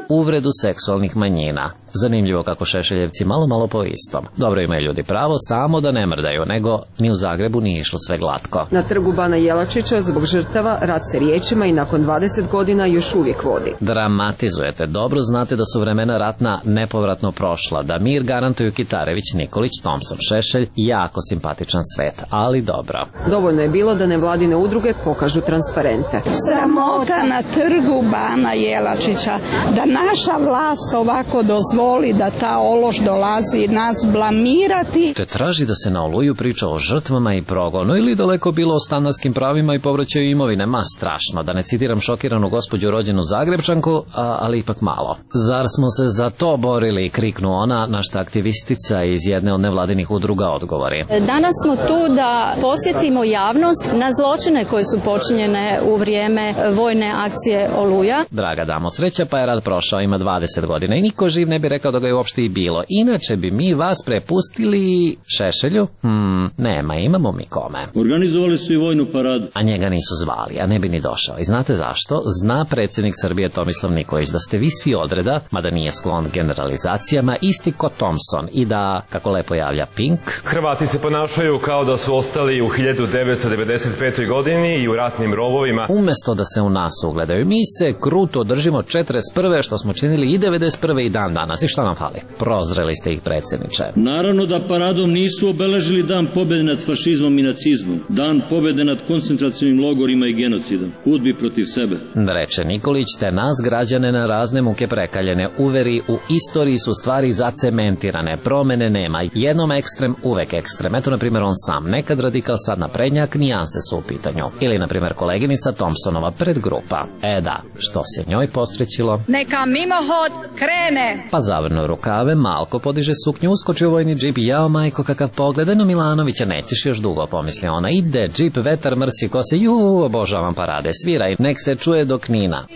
uvredu seksualnih manjina. Zanimljivo kako Šešeljevci malo malo po istom. Dobro, imaju ljudi pravo, samo da ne mrdaju, nego ni u Zagrebu nije išlo sve glatko. Na trgu Bana Jelačića zbog žrtava rat se riječima i nakon dvadeset godina još uvijek vodi. Dramatizujete. Dobro znate da su vremena ratna nepovratno prošla, da mir garantuju Kitarević, Nikolić, Thompson, Šešelj, jako simpatičan svet, ali dobro. Dovoljno je bilo da nevladine udruge pokažu transparente. Sramota na trgu Bana Jelačića, da naša vlast ovako dozvoli voli da ta ološ dolazi nas blamirati. Te traži da se na Oluju priča o žrtvama i progonu ili daleko bilo o stanarskim pravima i povraćaju imovine. Ma strašno, da ne citiram šokiranu gospođu rođenu Zagrebčanku, a, ali ipak malo. Zar smo se za to borili, kriknu ona, na šta aktivistica iz jedne od nevladinih udruga odgovori. Danas smo tu da posjetimo javnost na zločine koje su počinjene u vrijeme vojne akcije Oluja. Draga damo, sreća pa je rat prošao, ima dvadeset godina i niko živ ne bi rekao da ga je uopšte i bilo. Inače bi mi vas prepustili Šešelju? Hmm, nema, imamo mi kome. Organizovali su i vojnu paradu. A njega nisu zvali, a ne bi ni došao. I znate zašto? Zna predsjednik Srbije Tomislav Nikolić da ste vi svi odreda, mada nije sklon generalizacijama, isti ko Thompson i da, kako lepo javlja Pink, Hrvati se ponašaju kao da su ostali u hiljadu devetsto devedeset petoj godini i u ratnim rovovima. Umesto da se u nas ugledaju, mi se kruto držimo četrdeset prve što smo činili i devedeset prve i dan danas. I šta nam fali? Prozreli ste ih, predsjedniče. Naravno da paradom nisu obeležili dan pobjede nad fašizmom i nacizmom, dan pobjede nad koncentracijnim logorima i genocidom, hudbi protiv sebe. Reče Nikolić, te nas građane na razne muke prekaljene uveri u istoriji su stvari zacementirane, promene nema, jednom ekstrem, uvek ekstrem. Eto, na primjer, on sam, nekad radikal, sad naprednjak, nijanse su u pitanju. Ili, na primjer, koleginica Thompsonova predgrupa. E da, što se njoj posrećilo? Neka mimohod krene! Pa zavrnu rukave, malko podiže suknju, uskoči u vojni džip i jao majko kakav pogled, no Milanovića nećeš još dugo, pomisli ona. Ide džip, vetar mrsi kose, ju, obožavam parade, sviraj, nek se čuje do Knina.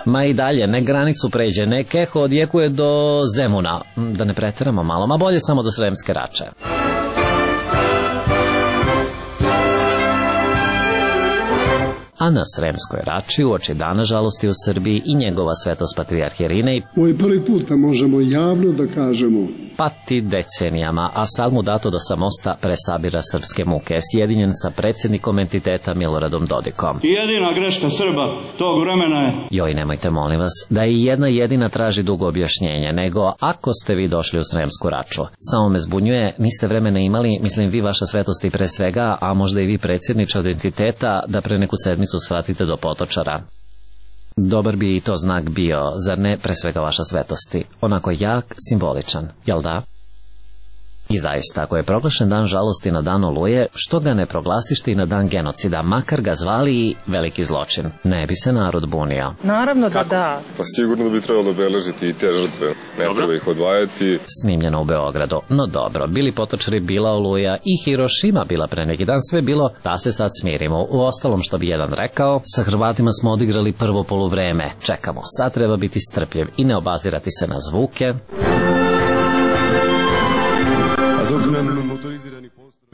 Ma i dalje, ne granicu pređe, nek eho odjekuje do Zemuna, da ne preteramo malo, ma bolje samo do Sremske Rače. A na Sremskoj Rači uoči dana žalosti u Srbiji i njegova svetost patrijarh Irinej, ovo je prvi put da možemo javno da kažemo, pati decenijama, a sad mu dato da sa mosta presabira srpske muke, sjedinjen sa predsjednikom entiteta Miloradom Dodikom. I jedina greška Srba tog vremena je... Joj, nemojte molim vas, da i jedna jedina traži dugo objašnjenje, nego ako ste vi došli u Sremsku Raču. Samo me zbunjuje, niste vremena imali, mislim vi vaša svetost i pre svega, a možda i vi predsjedniče od entiteta, da pre neku sedmicu svratite do Potočara. Dobar bi i to znak bio, zar ne, pre svega vaša svetosti? Onako jak, simboličan, jel da? I zaista, ako je proglašen dan žalosti na dan Oluje, što ga ne proglasište i na dan genocida, makar ga zvali i veliki zločin? Ne bi se narod bunio. Naravno da da. Pa sigurno da bi trebalo obeležiti i te žrtve, ne treba ih odvajati. Snimljeno u Beogradu. No dobro, bili Potočari, bila Oluja i Hirošima bila pre neki dan, sve bilo da se sad smirimo. U ostalom, što bi jedan rekao, sa Hrvatima smo odigrali prvo poluvreme. Čekamo, sad treba biti strpljiv i ne obazirati se na zvuke.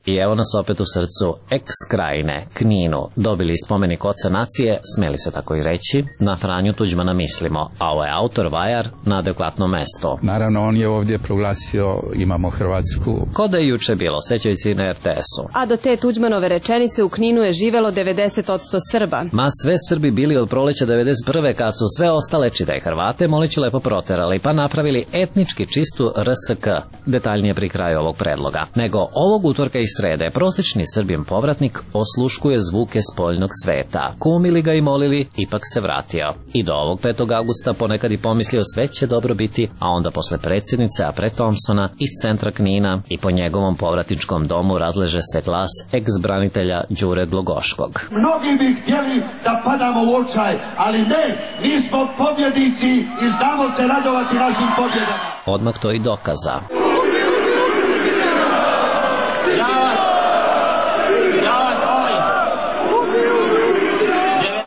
I evo nas opet u srcu eks-krajine, Kninu, dobili spomenik oca nacije, smeli se tako i reći, na Franju Tuđmana mislimo, a ovo je autor Vajar na adekvatno mesto. Naravno, on je ovdje proglasio imamo Hrvatsku. Ko da je juče bilo, sećaju se i na er te esu. A do te Tuđmanove rečenice u Kninu je živelo devedeset posto Srba. Ma sve Srbi bili od proleća devedeset prve kad su sve ostale čite Hrvate Moliću lepo proterali pa napravili etnički čistu er es ke, detaljnije pri kraju ovog predloga. Nego ovog utorka i srede prosječni Srbin povratnik osluškuje zvuke spoljnog sveta. Kumili ga i molili, ipak se vratio. I do ovog petog avgusta ponekad i pomislio sve će dobro biti, a onda posle predsjednice, a pre Thompsona, iz centra Knina i po njegovom povratničkom domu razleže se glas eks-branitelja Đure Glogoškog. Mnogi bi htjeli da padamo u očaj, ali ne, mi smo pobjednici i znamo se radovati našim pobjedama. Odmah to i dokaza.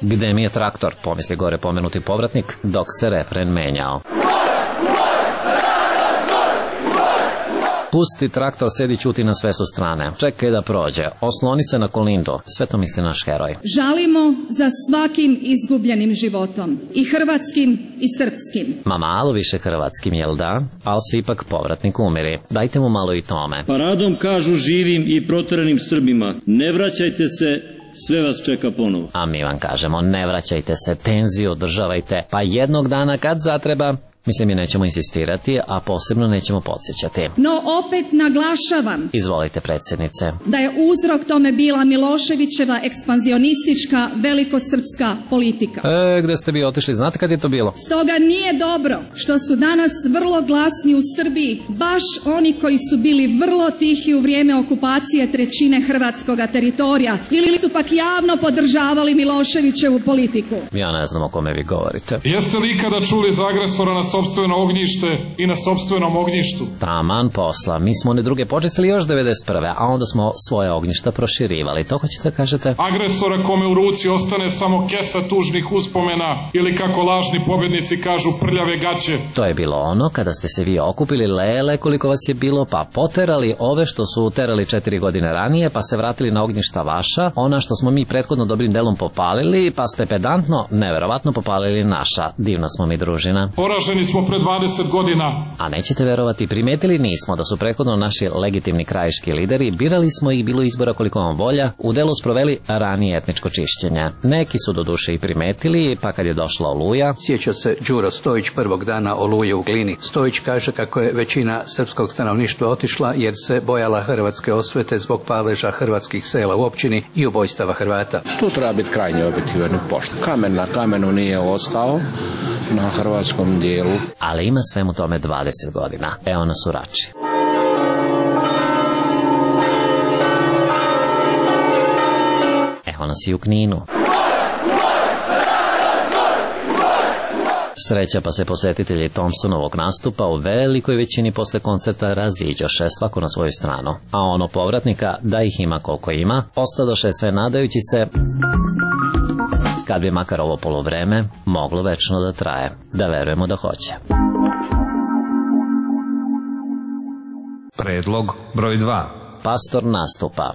Gde mi je traktor, pomisli gore pomenuti povratnik, dok se refren menjao. Pusti traktor, sedi, ćuti, na sve su strane. Čekaj da prođe, osloni se na Kolindu, sve to misli naš heroj. Žalimo za svakim izgubljenim životom, i hrvatskim i srpskim. Ma malo više hrvatskim, jel da? Ali se ipak povratnik umiri. Dajte mu malo i tome. Paradom kažu živim i proteranim Srbima, ne vraćajte se, sve vas čeka ponovo. A mi vam kažemo, ne vraćajte se, tenziju održavajte, pa jednog dana kad zatreba, mislim, mi nećemo insistirati, a posebno nećemo podsjećati. No opet naglašavam, izvolite predsjednice, da je uzrok tome bila Miloševićeva ekspanzionistička velikosrpska politika. E, gde ste bi otišli, znate kad je to bilo? Stoga nije dobro što su danas vrlo glasni u Srbiji, baš oni koji su bili vrlo tihi u vrijeme okupacije trećine hrvatskog teritorija, ili su pak javno podržavali Miloševićevu politiku. Ja ne znam o kome vi govorite. Jeste li ikada čuli za agresora na sopstveno ognjište i na sopstvenom ognjištu? Taman posla, mi smo one druge počistili još devedeset prve, a onda smo svoje ognjišta proširivali, to hoćete kažete? Agresora kome u ruci ostane samo kesa tužnih uspomena ili kako lažni pobjednici kažu prljave gaće. To je bilo ono kada ste se vi okupili, lele koliko vas je bilo, pa poterali ove što su uterali četiri godine ranije, pa se vratili na ognjišta vaša, ona što smo mi prethodno dobrim delom popalili, pa ste pedantno, neverovatno popalili naša. Divna smo mi družina. Poraženi smo pre dvadeset godina. A nećete verovati, primetili nismo da su prethodno naši legitimni krajiški lideri, birali smo ih, bilo izbora koliko vam volja, u delu sproveli ranije etničko čišćenje. Neki su do duše i primetili, pa kad je došla Oluja. Sjeća se Đuro Stojić prvog dana Oluje u Glini. Stojić kaže kako je većina srpskog stanovništva otišla jer se bojala hrvatske osvete zbog paleža hrvatskih sela u općini i ubojstava Hrvata. Tu treba biti krajnje objektivan i pošten. Kamen na kamenu nije ostao na hrvatskom dijelu. Ali ima svemu tome dvadeset godina. Evo nas u Rači. Evo nas i u Kninu. Sreća pa se posjetitelji Thompsonovog nastupa u velikoj većini posle koncerta raziđoše svako na svoju stranu. A ono povratnika, da ih ima koliko ima, ostadoše sve nadajući se kad bi makar ovo poluvreme moglo večno da traje. Da verujemo da hoće. Predlog broj dva. Pastor nastupa.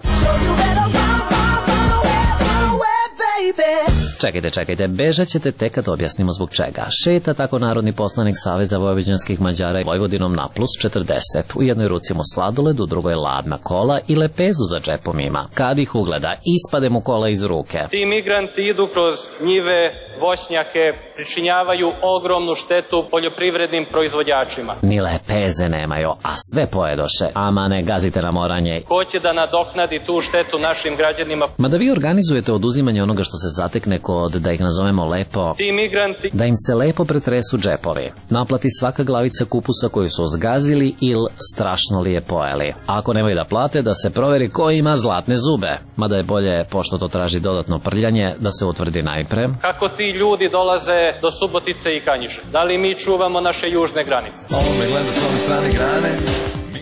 Čekajte, čekajte, bežat ćete tek kad objasnimo zbog čega. Šeta tako narodni poslanik Saveza vojvođanskih Mađara i Vojvodinom na plus četrdeset. U jednoj ruci mu sladoled, u drugoj ladna kola i lepezu za džepom ima. Kad ih ugleda, ispade mu kola iz ruke. Ti migranti idu kroz njive, voćnjake, pričinjavaju ogromnu štetu poljoprivrednim proizvođačima. Ni lepeze nemaju, a sve pojedoše. Ama ne gazite na moranje. Ko će da nadoknadi tu štetu našim građanima? Mada vi organizujete oduzimanje onoga što se zatekne kod, da ih nazovemo lepo, ti migranti, da im se lepo pretresu džepovi, naplati svaka glavica kupusa koju su zgazili ili strašno li je pojeli. Ako nemaju da plate, da se proveri ko ima zlatne zube. Mada je bolje, pošto to traži dodatno prljanje, da se utvrdi najpre kako ti ljudi dolaze do Subotice i Kanjiže. Da li mi čuvamo naše južne granice? Ovo me gleda s ove strane grane.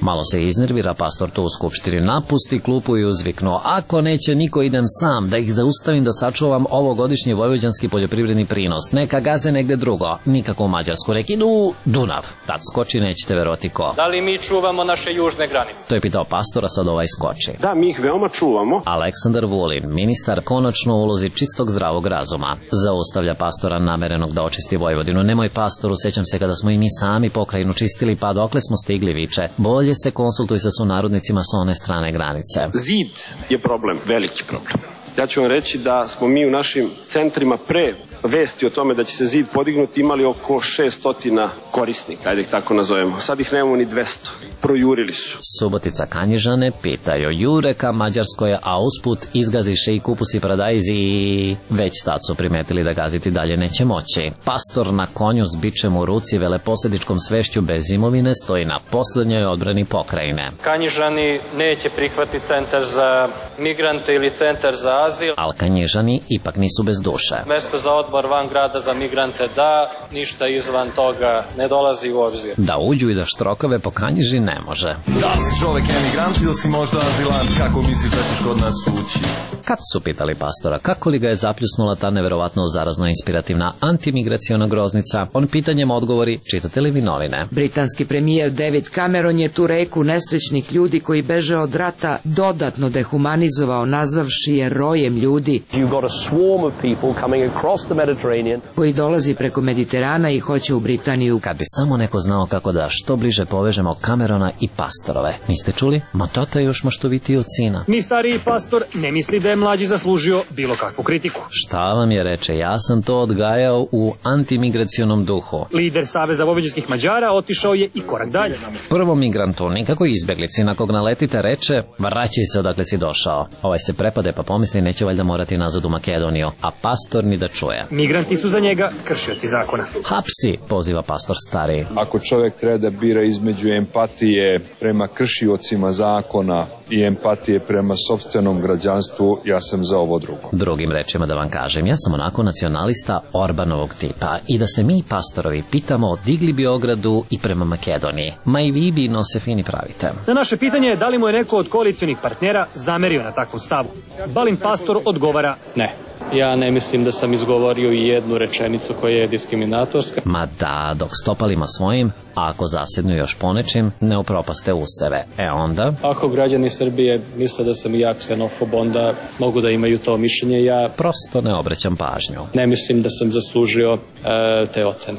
Malo se iznervira, pastor tu u skupštini napusti klupu i uzviknuo: ako neće niko, idem sam, da ih zaustavim, da sačuvam ovogodišnji vojvođanski poljoprivredni prinos. Neka gaze negde drugo, nikako u Mađarsku. Nek idu Dunav. Tad skoči, nećete verovati ko. Da li mi čuvamo naše južne granice? To je pitao pastora, sad ovaj skoči. Da, mi ih veoma čuvamo. Aleksandar Vulin, ministar, konačno u ulozi čistog zdravog razuma, zaustavlja pastora namerenog da očisti Vojvodinu. Nemoj, pastoru, sećam se kada smo i mi sami pokrajinu čistili, pa dokle smo stigli, viče. Bolje se konsultuj sa sunarodnicima sa one strane granice. Zid je problem, veliki problem. Ja ću vam reći da smo mi u našim centrima pre vesti o tome da će se zid podignuti imali oko šesto korisnika, ajde ih tako nazovemo. Sad ih nemamo ni dvesta. Projurili su. Subotica Kanjižane pitaju jure ka Mađarskoj, a usput izgaziše i kupusi paradajzi i već tad su primetili da gaziti dalje neće moći. Pastor na konju s bičem u ruci, veleposedičkom svešću bez imovine, stoji na poslednjoj odbrani pokrajine. Kanjižani neće prihvatiti centar za migrante ili centar za azil. Al Kanjižani ipak nisu bez duše. Mesto za odmor van grada za migrante da, ništa izvan toga ne dolazi u obzir. Da uđu i da štrokave po Kanjiži ne može. Da si čovek emigrant ili si možda azilant, kako misliš da ćeš kod nas ući? Kad su pitali pastora kako li ga je zapljusnula ta neverovatno zarazno inspirativna antimigraciona groznica, on pitanjem odgovori: čitate li vi novine? Britanski premijer David Cameron je tu reku nesrećnih ljudi koji beže od rata dodatno dehumanizovao, nazvavši je rojem ljudi koji dolazi preko Mediterana i hoće u Britaniju. Kad bi samo neko znao kako da što bliže povežemo Camerona i pastorove. Niste čuli? Ma tata je još maštovitiji od sina. Ni stariji pastor ne misli da je mlađi zaslužio bilo kakvu kritiku. Šta vam je, reče, ja sam to odgajao u antimigracionom duhu. Lider Saveza vojvođanskih Mađara otišao je i korak dalje. Prvom migrantu, nikako izbeglici, na kog naletite, reče: vraćaj se odakle si došao. Ovaj se prepade pa pomisli neće valjda morati nazad u Makedoniju, a pastor ni da čuje. Migranti su za njega kršioci zakona. Hapsi, poziva pastor stari. Ako čovjek treba da bira između empatije prema kršiocima zakona i empatije prema sopstvenom građanstvu, ja sam za ovo drugo. Drugim rečima da vam kažem, ja sam onako nacionalista Orbanovog tipa i da se mi pastorovi pitamo digli bi ogradu i prema Makedoniji. Ma i vi bi no se fini pravite. Na naše pitanje je da li mu je neko od koalicionih partnera zamerio na takvom stavu. Balin pastor odgovara: ne. Ja ne mislim da sam izgovorio i jednu rečenicu koja je diskriminatorska. Ma da, dok stopalima svojim, a ako zasednu još ponečim, ne upropaste useve. E onda? Ako građani Srbije misle da sam ja ksenofob, onda mogu da imaju to mišljenje. Ja prosto ne obraćam pažnju. Ne mislim da sam zaslužio e, te ocene.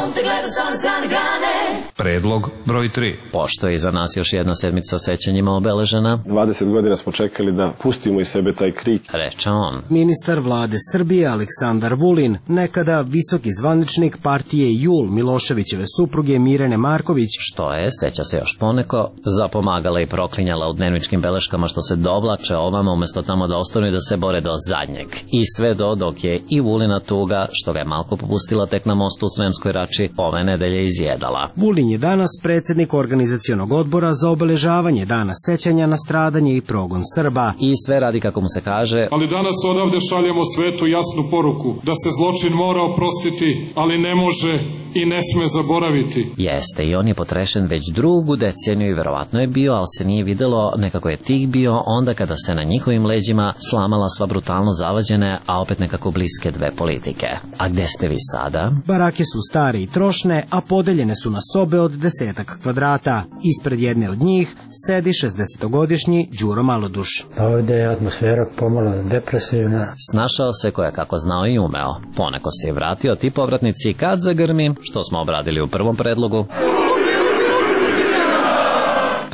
On te gleda sa one strane grane. Predlog broj tri. Pošto je iza nas još jedna sedmica sećanjima obeležena, dvadeset godina smo čekali da pustimo iz sebe taj krik, reče on. Ministar vlade Srbije Aleksandar Vulin, nekada visoki zvaničnik partije Jul Miloševićeve supruge Mirene Marković, što je, seća se još poneko, zapomagala i proklinjala u dnevničkim beleškama što se dovlače ovama umesto tamo da ostanu i da se bore do zadnjeg. I sve do dok je i Vulina tuga, što ga je malko popustila tek na mostu u Sremskoj Rači, ove nedelje izjedala. Vulin je danas predsjednik organizacionog odbora za obeležavanje dana sećanja na stradanje i progon Srba. I sve radi kako mu se kaže. Ali danas odavde šaljemo svetu jasnu poruku da se zločin mora oprostiti, ali ne može i ne sme zaboraviti. Jeste, i on je potrešen već drugu deceniju i verovatno je bio, ali se nije videlo, nekako je tih bio onda kada se na njihovim leđima slamala sva brutalno zavađene, a opet nekako bliske dve politike. A gde ste vi sada? Barake su stare i trošne, a podeljene su na sobe od desetak kvadrata. Ispred jedne od njih sedi šezdesetogodišnji Đuro Maloduš. Ovdje je atmosfera pomalo depresivna. Snašao se koja kako znao i umeo. Poneko se je vratio ti povratnici kad zagrmi, što smo obradili u prvom predlogu.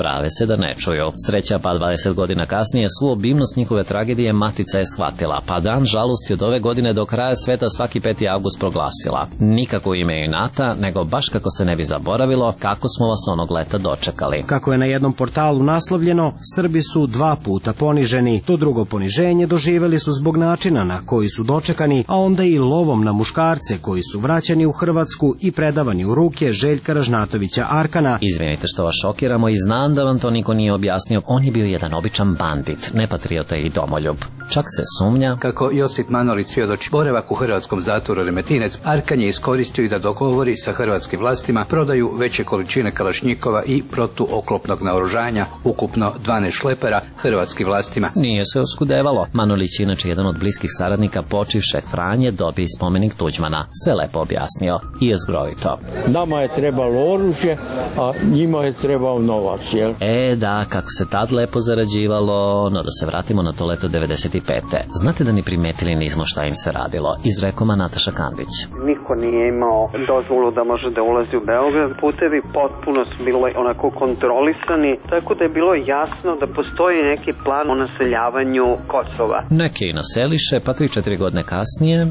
Prave se da ne čuju. Sreća pa dvadeset godina kasnije svu obimnost njihove tragedije matica je shvatila, pa dan žalosti od ove godine do kraja sveta svaki peti avgust proglasila. Nikako ime inata, nego baš kako se ne bi zaboravilo kako smo vas onog leta dočekali. Kako je na jednom portalu naslovljeno, Srbi su dva puta poniženi. To drugo poniženje doživeli su zbog načina na koji su dočekani, a onda i lovom na muškarce koji su vraćani u Hrvatsku i predavani u ruke Željka Ražnatovića Arkana. Izvinite što vas šokiramo i znam da vam to niko nije objasnio. On je bio jedan običan bandit, nepatriota i domoljub. Čak se sumnja kako Josip Manolić svjedoči, boravak u hrvatskom zatvoru Remetinec Arkan je iskoristio i da dogovori sa hrvatskim vlastima prodaju veće količine kalašnjikova i protuoklopnog naoružanja, ukupno dvanaest šlepera hrvatskim vlastima. Nije se oskudevalo. Manolić, inače jedan od bliskih saradnika počivšeg Franje, dobije spomenik Tuđmana. Sve lepo objasnio i je zgrovito. Nama je trebalo oružje, a njima je trebao novac, jel? E, da, kako se tad lepo zarađivalo, no da se vratimo na to leto devedeset pete. Znate da ni primetili nismo šta im se radilo, izrekoma Nataša Kandić. Niko nije imao dozvolu da može da ulazi u Beograd. Putevi potpuno su bili onako kontrolisani, tako da je bilo jasno da postoji neki plan o naseljavanju Kosova. Neki i naseliše, pa tri četiri godine kasnije...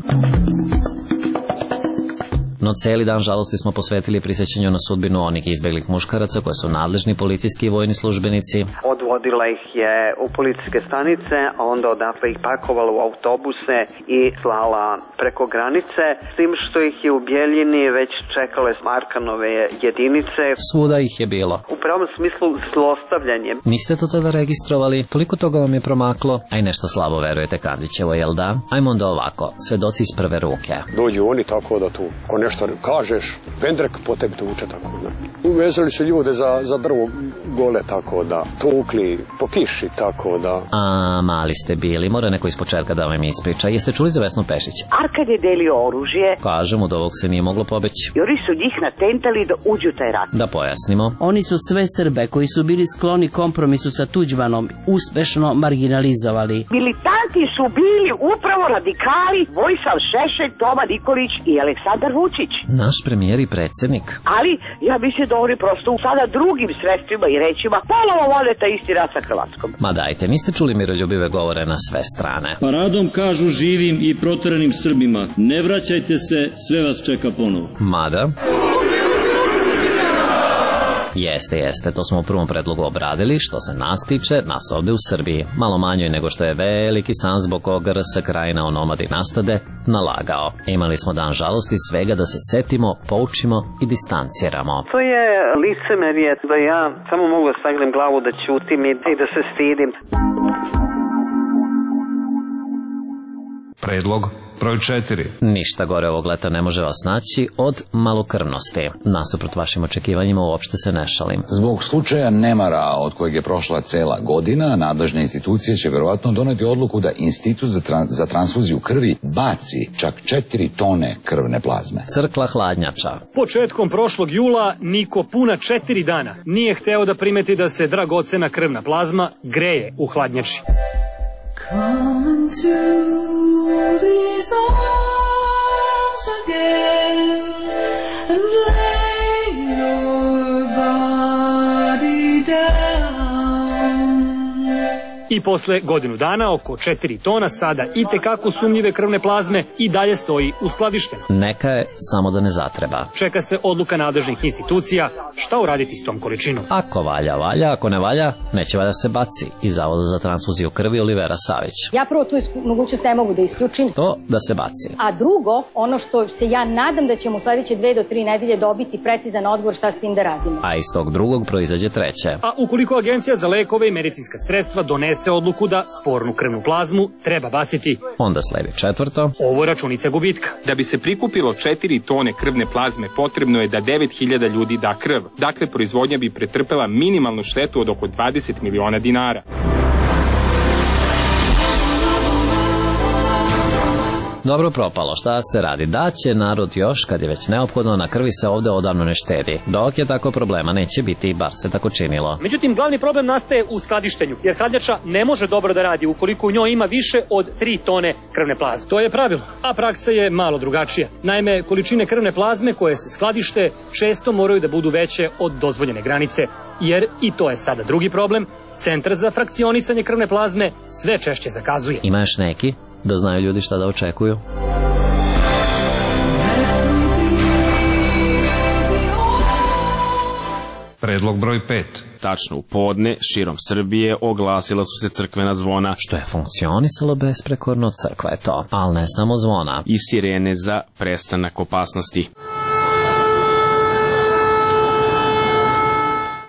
No cijeli dan žalosti smo posvetili prisjećanju na sudbinu onih izbjeglih muškaraca koje su nadležni policijski i vojni službenici. Odvodila ih je u policijske stanice, a onda odatle ih pakovala u autobuse i slala preko granice, s tim što ih je u Bjeljini već čekale Arkanove jedinice. Svuda ih je bilo. U pravom smislu zlostavljanje. Niste to tada registrovali? Toliko toga vam je promaklo, a i nešto slabo verujete Kandićevo, jel da? Ajmo onda ovako, svedoci iz prve ruke. Dođu oni tako da tu, ko nešto kažeš, pendrek po tebi tuče tako da. Uvezali su ljude za, za drvo gole tako da, tukli po kiši tako da. A mali ste bili, mora neko iz početka da vam ispriča. Jeste čuli za Vesnu Pešić? Arkan je delio oružje. Kažem, od ovog se nije moglo pobeći. I oni su njih natentali da uđu taj rat. Da pojasnimo. Oni su sve Srbe koji su bili skloni kompromisu sa Tuđmanom uspešno marginalizovali. Militanti su bili upravo radikali Vojislav Šešelj, Toma Nikolić i Aleksandar Vučić. Naš premijer i predsjednik. Ali ja mislim da oni prosto sada drugim sredstvima i rečima ponovo vode taj isti rat sa Hrvatskom. Ma dajte, niste čuli miroljubive govore na sve strane. Paradom kažu živim i proteranim Srbima, ne vraćajte se, sve vas čeka ponovo. Mada... Jeste, jeste, to smo u prvom predlogu obradili. Što se nas tiče, nas ovde u Srbiji, malo manjoj nego što je veliki san zbog koga R S Krajina onomadi nastade, nalagao. Imali smo dan žalosti svega da se setimo, poučimo i distanciramo. To je licemerje da ja samo mogu da sagnem glavu, da ćutim i da se stidim. Predlog broj četiri. Ništa gore ovog leta ne može vas naći od malokrvnosti. Nasuprot vašim očekivanjima uopšte se ne šalim. Zbog slučaja nemara od kojeg je prošla cela godina, nadležne institucije će verovatno doneti odluku da Institut za, tra za transfuziju krvi baci čak četiri tone krvne plazme. Crkla hladnjača. Početkom prošlog jula niko puna četiri dana nije hteo da primeti da se dragocena krvna plazma greje u hladnjači. Come into these arms again and lay your body down. I posle godinu dana oko četiri tona sada i tekako sumnjive krvne plazme i dalje stoji uskladišteno. Neka je, samo da ne zatreba. Čeka se odluka nadležnih institucija šta uraditi s tom količinom. Ako valja, valja, ako ne valja, neće valja se baci. Iz Zavoda za transfuziju krvi Olivera Savić. Ja prvo tu mogućnost ne mogu da isključim. To da se baci. A drugo, ono što se ja nadam da ćemo u sledeće dve do tri nedelje dobiti precizan odgovor šta s tim da radimo. A iz tog drugog proizađe treće. A ukoliko Agencija za lekove i medicinska sredstva donese se odluku da spornu krvnu plazmu treba baciti. Onda sledi četvrto. Ovo je računica gubitka. Da bi se prikupilo četiri tone krvne plazme potrebno je da devet hiljada ljudi da krv. Dakle, proizvodnja bi pretrpela minimalnu štetu od oko dvadeset miliona dinara. Dobro propalo, šta se radi? Da će narod još, kad je već neophodno, na krvi se ovde odavno ne štedi. Dok je tako problema neće biti, bar se tako činilo. Međutim, glavni problem nastaje u skladištenju, jer hladnjača ne može dobro da radi ukoliko u njoj ima više od tri tone krvne plazme. To je pravilo, a praksa je malo drugačija. Naime, količine krvne plazme koje se skladište često moraju da budu veće od dozvoljene granice, jer, i to je sada drugi problem, Centar za frakcionisanje krvne plazme sve češće zakazuje. Ima još neki? Da znaju ljudi šta da očekuju? Predlog broj pet. Tačno u podne, širom Srbije oglasila su se crkvena zvona. Što je funkcionisalo besprekorno, crkva je to. Ali ne samo zvona. I sirene za prestanak opasnosti.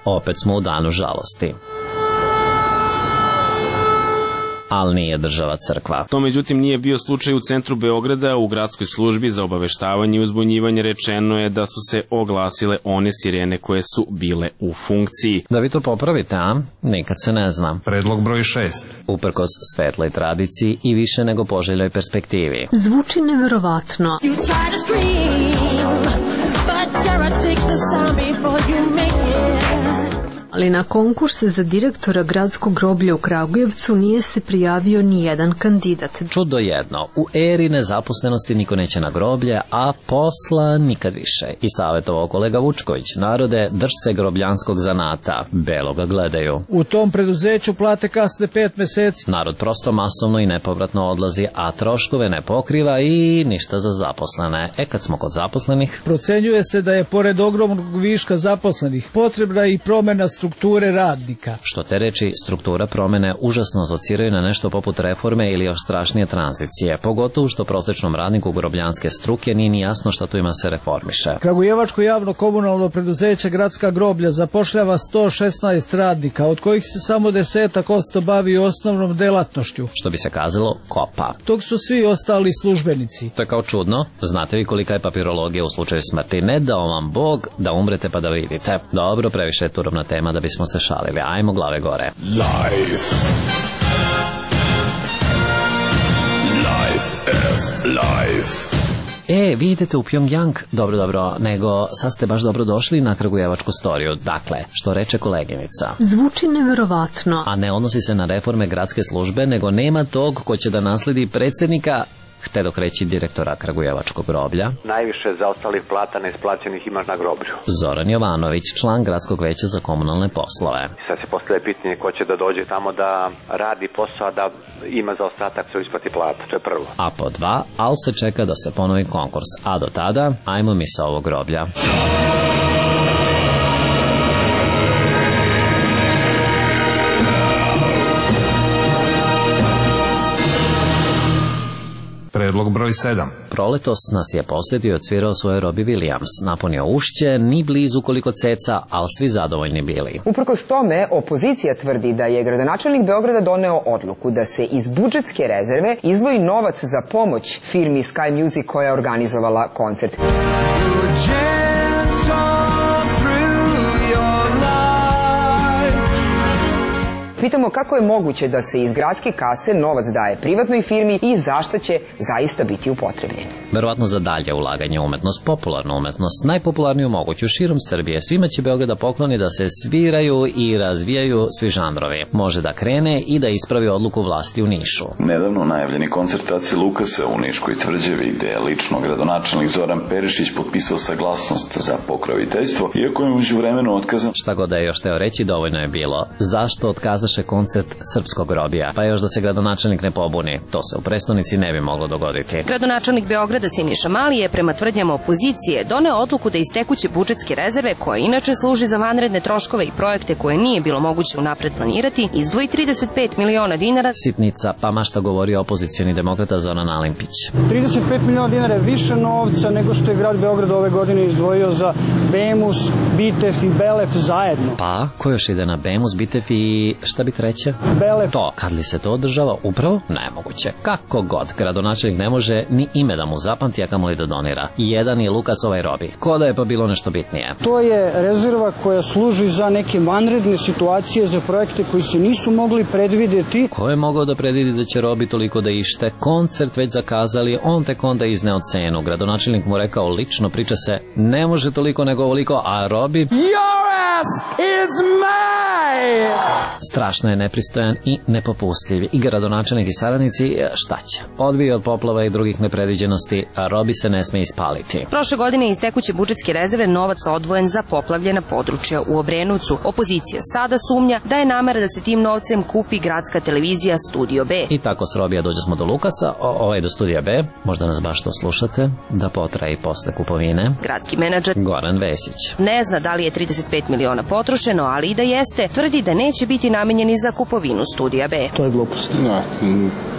Opet smo u danu žalosti. Ali nije država crkva. To međutim nije bio slučaj u centru Beograda. U gradskoj službi za obaveštavanje i uzbunjivanje rečeno je da su se oglasile one sirene koje su bile u funkciji. Da vi to popravite, a? Nikad se ne zna. Predlog broj šest. Uprkos svetloj tradiciji i više nego poželjoj perspektivi. Zvuči neverovatno. Ali na konkurse za direktora gradskog groblja u Kragujevcu nije se prijavio ni jedan kandidat. Čudo jedno, u eri nezaposlenosti niko neće na groblje, a posla nikad više. I savjetovao kolega Vučković, narode, drž se grobljanskog zanata, belo ga gledaju. U tom preduzeću plate kasne pet meseci. Narod prosto masovno i nepovratno odlazi, a troškove ne pokriva i ništa za zaposlene. E kad smo kod zaposlenih... Procenjuje se da je pored ogromnog viška zaposlenih potrebna i promjena strukture radnika. Što te reči, struktura promene užasno asociraju na nešto poput reforme ili još strašnije tranzicije, pogotovo što prosečnom radniku grobljanske struke nije ni jasno šta tu ima se reformiše. Kragujevačko javno komunalno preduzeće Gradska groblja zapošljava sto šesnaest radnika, od kojih se samo desetak posto bavi osnovnom delatnošću. Što bi se kazalo, kopa. Tog su svi ostali službenici. To je kao čudno. Znate vi kolika je papirologija u slučaju smrti? Ne dao vam Bog da umrete pa da vidite. Dobro, previše je turovna tema da bismo se šalili. Ajmo glave gore. Life. Life is life. E, vi idete u Pyongyang, dobro, dobro, nego sad ste baš dobro došli na kragujevačku storiju. Dakle, što reče koleginica? Zvuči neverovatno. A ne odnosi se na reforme gradske službe, nego nema tog ko će da nasledi predsjednika, htedok dok reći direktora kragujevačkog groblja. Najviše zaostalih plata neisplaćenih imaš na groblju. Zoran Jovanović, član gradskog veća za komunalne poslove. Sad se postavlja pitanje ko će da dođe tamo da radi posao, a da ima zaostatak se isplati plata, to je prvo. A po dva, al se čeka da se ponovi konkurs, a do tada, ajmo mi sa ovog groblja. Predlog broj sedam. Proletos nas je posjetio i odsvirao svoje Robbie Williams. Napunio ušće, ni blizu koliko ceca, ali svi zadovoljni bili. Uprkos tome, opozicija tvrdi da je gradonačelnik Beograda doneo odluku da se iz budžetske rezerve izdvoji novac za pomoć firmi Sky Music koja je organizovala koncert. Pitamo kako je moguće da se iz gradske kase novac daje privatnoj firmi i zašto će zaista biti upotrebljen. Verovatno za dalje ulaganje u umetnost, popularnu umetnost, najpopularniju moguću širom Srbije. Svima će Beograda pokloni da se sviraju i razvijaju svi žanrovi. Može da krene i da ispravi odluku vlasti u Nišu. Nedavno najavljeni koncert Ace Lukasa u Niškoj tvrđavi, gde je lično gradonačelnik Zoran Perišić potpisao saglasnost za pokroviteljstvo, iako je međuvremenu otkazan. Šta god da je još teo reći, dovoljno je bilo. Zašto otkazaše koncert srpskog grobija? Pa još da se gradonačelnik ne pobuni. To se u prestonici ne bi moglo dogoditi. Gradonačelnik Beograda Siniša Mali je prema tvrdnjama opozicije doneo odluku da iz tekuće budžetske rezerve, koja inače služi za vanredne troškove i projekte koje nije bilo moguće unapred planirati, izdvoji trideset pet miliona dinara. Sitnica, pa mašta govori opozicioni demokrata Zoran Alimpić. trideset pet miliona dinara je više novca nego što je grad Beograd ove godine izdvojio za Bemus, Bitef i Belef zajedno. Pa, ko još ide na Bemus, Bitef i šta šta bi treće? Bele. To, kad li se to održava? Upravo nemoguće. Kako god, gradonačelnik ne može ni ime da mu zapamti, a kamoli da donira. Jedan je Lukas, ovaj Robi. Ko da je pa bilo nešto bitnije? To je rezerva koja služi za neke vanredne situacije, za projekte koji se nisu mogli predvideti. Ko je mogao da predvidi da će Robi toliko da ište? Koncert već zakazali, on tek onda izneo cenu. Gradonačelnik mu rekao lično, priča se, ne može toliko nego ovoliko, a Robi... Your ass is mine! Strašno je nepristojan i nepopustljiv. I gradonačelnik i saradnici, šta će? Odbije od poplava i drugih nepredviđenosti, a Robi se ne sme ispaliti. Prošle godine iz tekuće budžetske rezerve novac odvojen za poplavljena područja u Obrenovcu. Opozicija sada sumnja da je namera da se tim novcem kupi gradska televizija Studio B. I tako s Robija dođe smo do Lukasa, o, ovaj do Studija B, možda nas baš to slušate, da potraje i posle kupovine. Gradski menadžer Goran Vesić ne zna da li je trideset pet miliona potrošeno, ali i da jeste, tvrdi da neće biti namenjeni za kupovinu Studija B. To je glupost. No,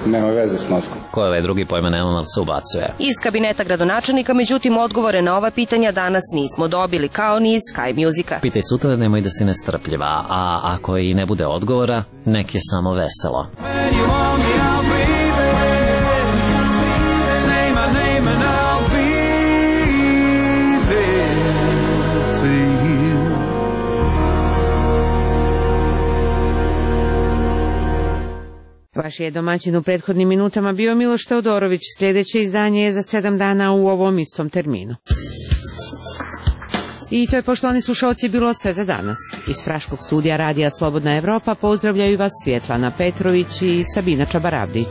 nema veze s Moskvom. Ko je ovaj drugi pojma nema, ali se ubacuje. Iz kabineta gradonačelnika, međutim, odgovore na ova pitanja danas nismo dobili, kao ni iz Sky Musica. Pitaj sutra, nemoj da si nestrpljiva, a ako i ne bude odgovora, nek je samo veselo. Vaš je domaćin u prethodnim minutama bio Miloš Teodorović. Sljedeće izdanje je za sedam dana u ovom istom terminu. I to je, poštovani slušalci, bilo sve za danas. Iz Praškog studija Radija Slobodna Evropa pozdravljaju vas Svjetlana Petrović i Sabina Čabaravdić.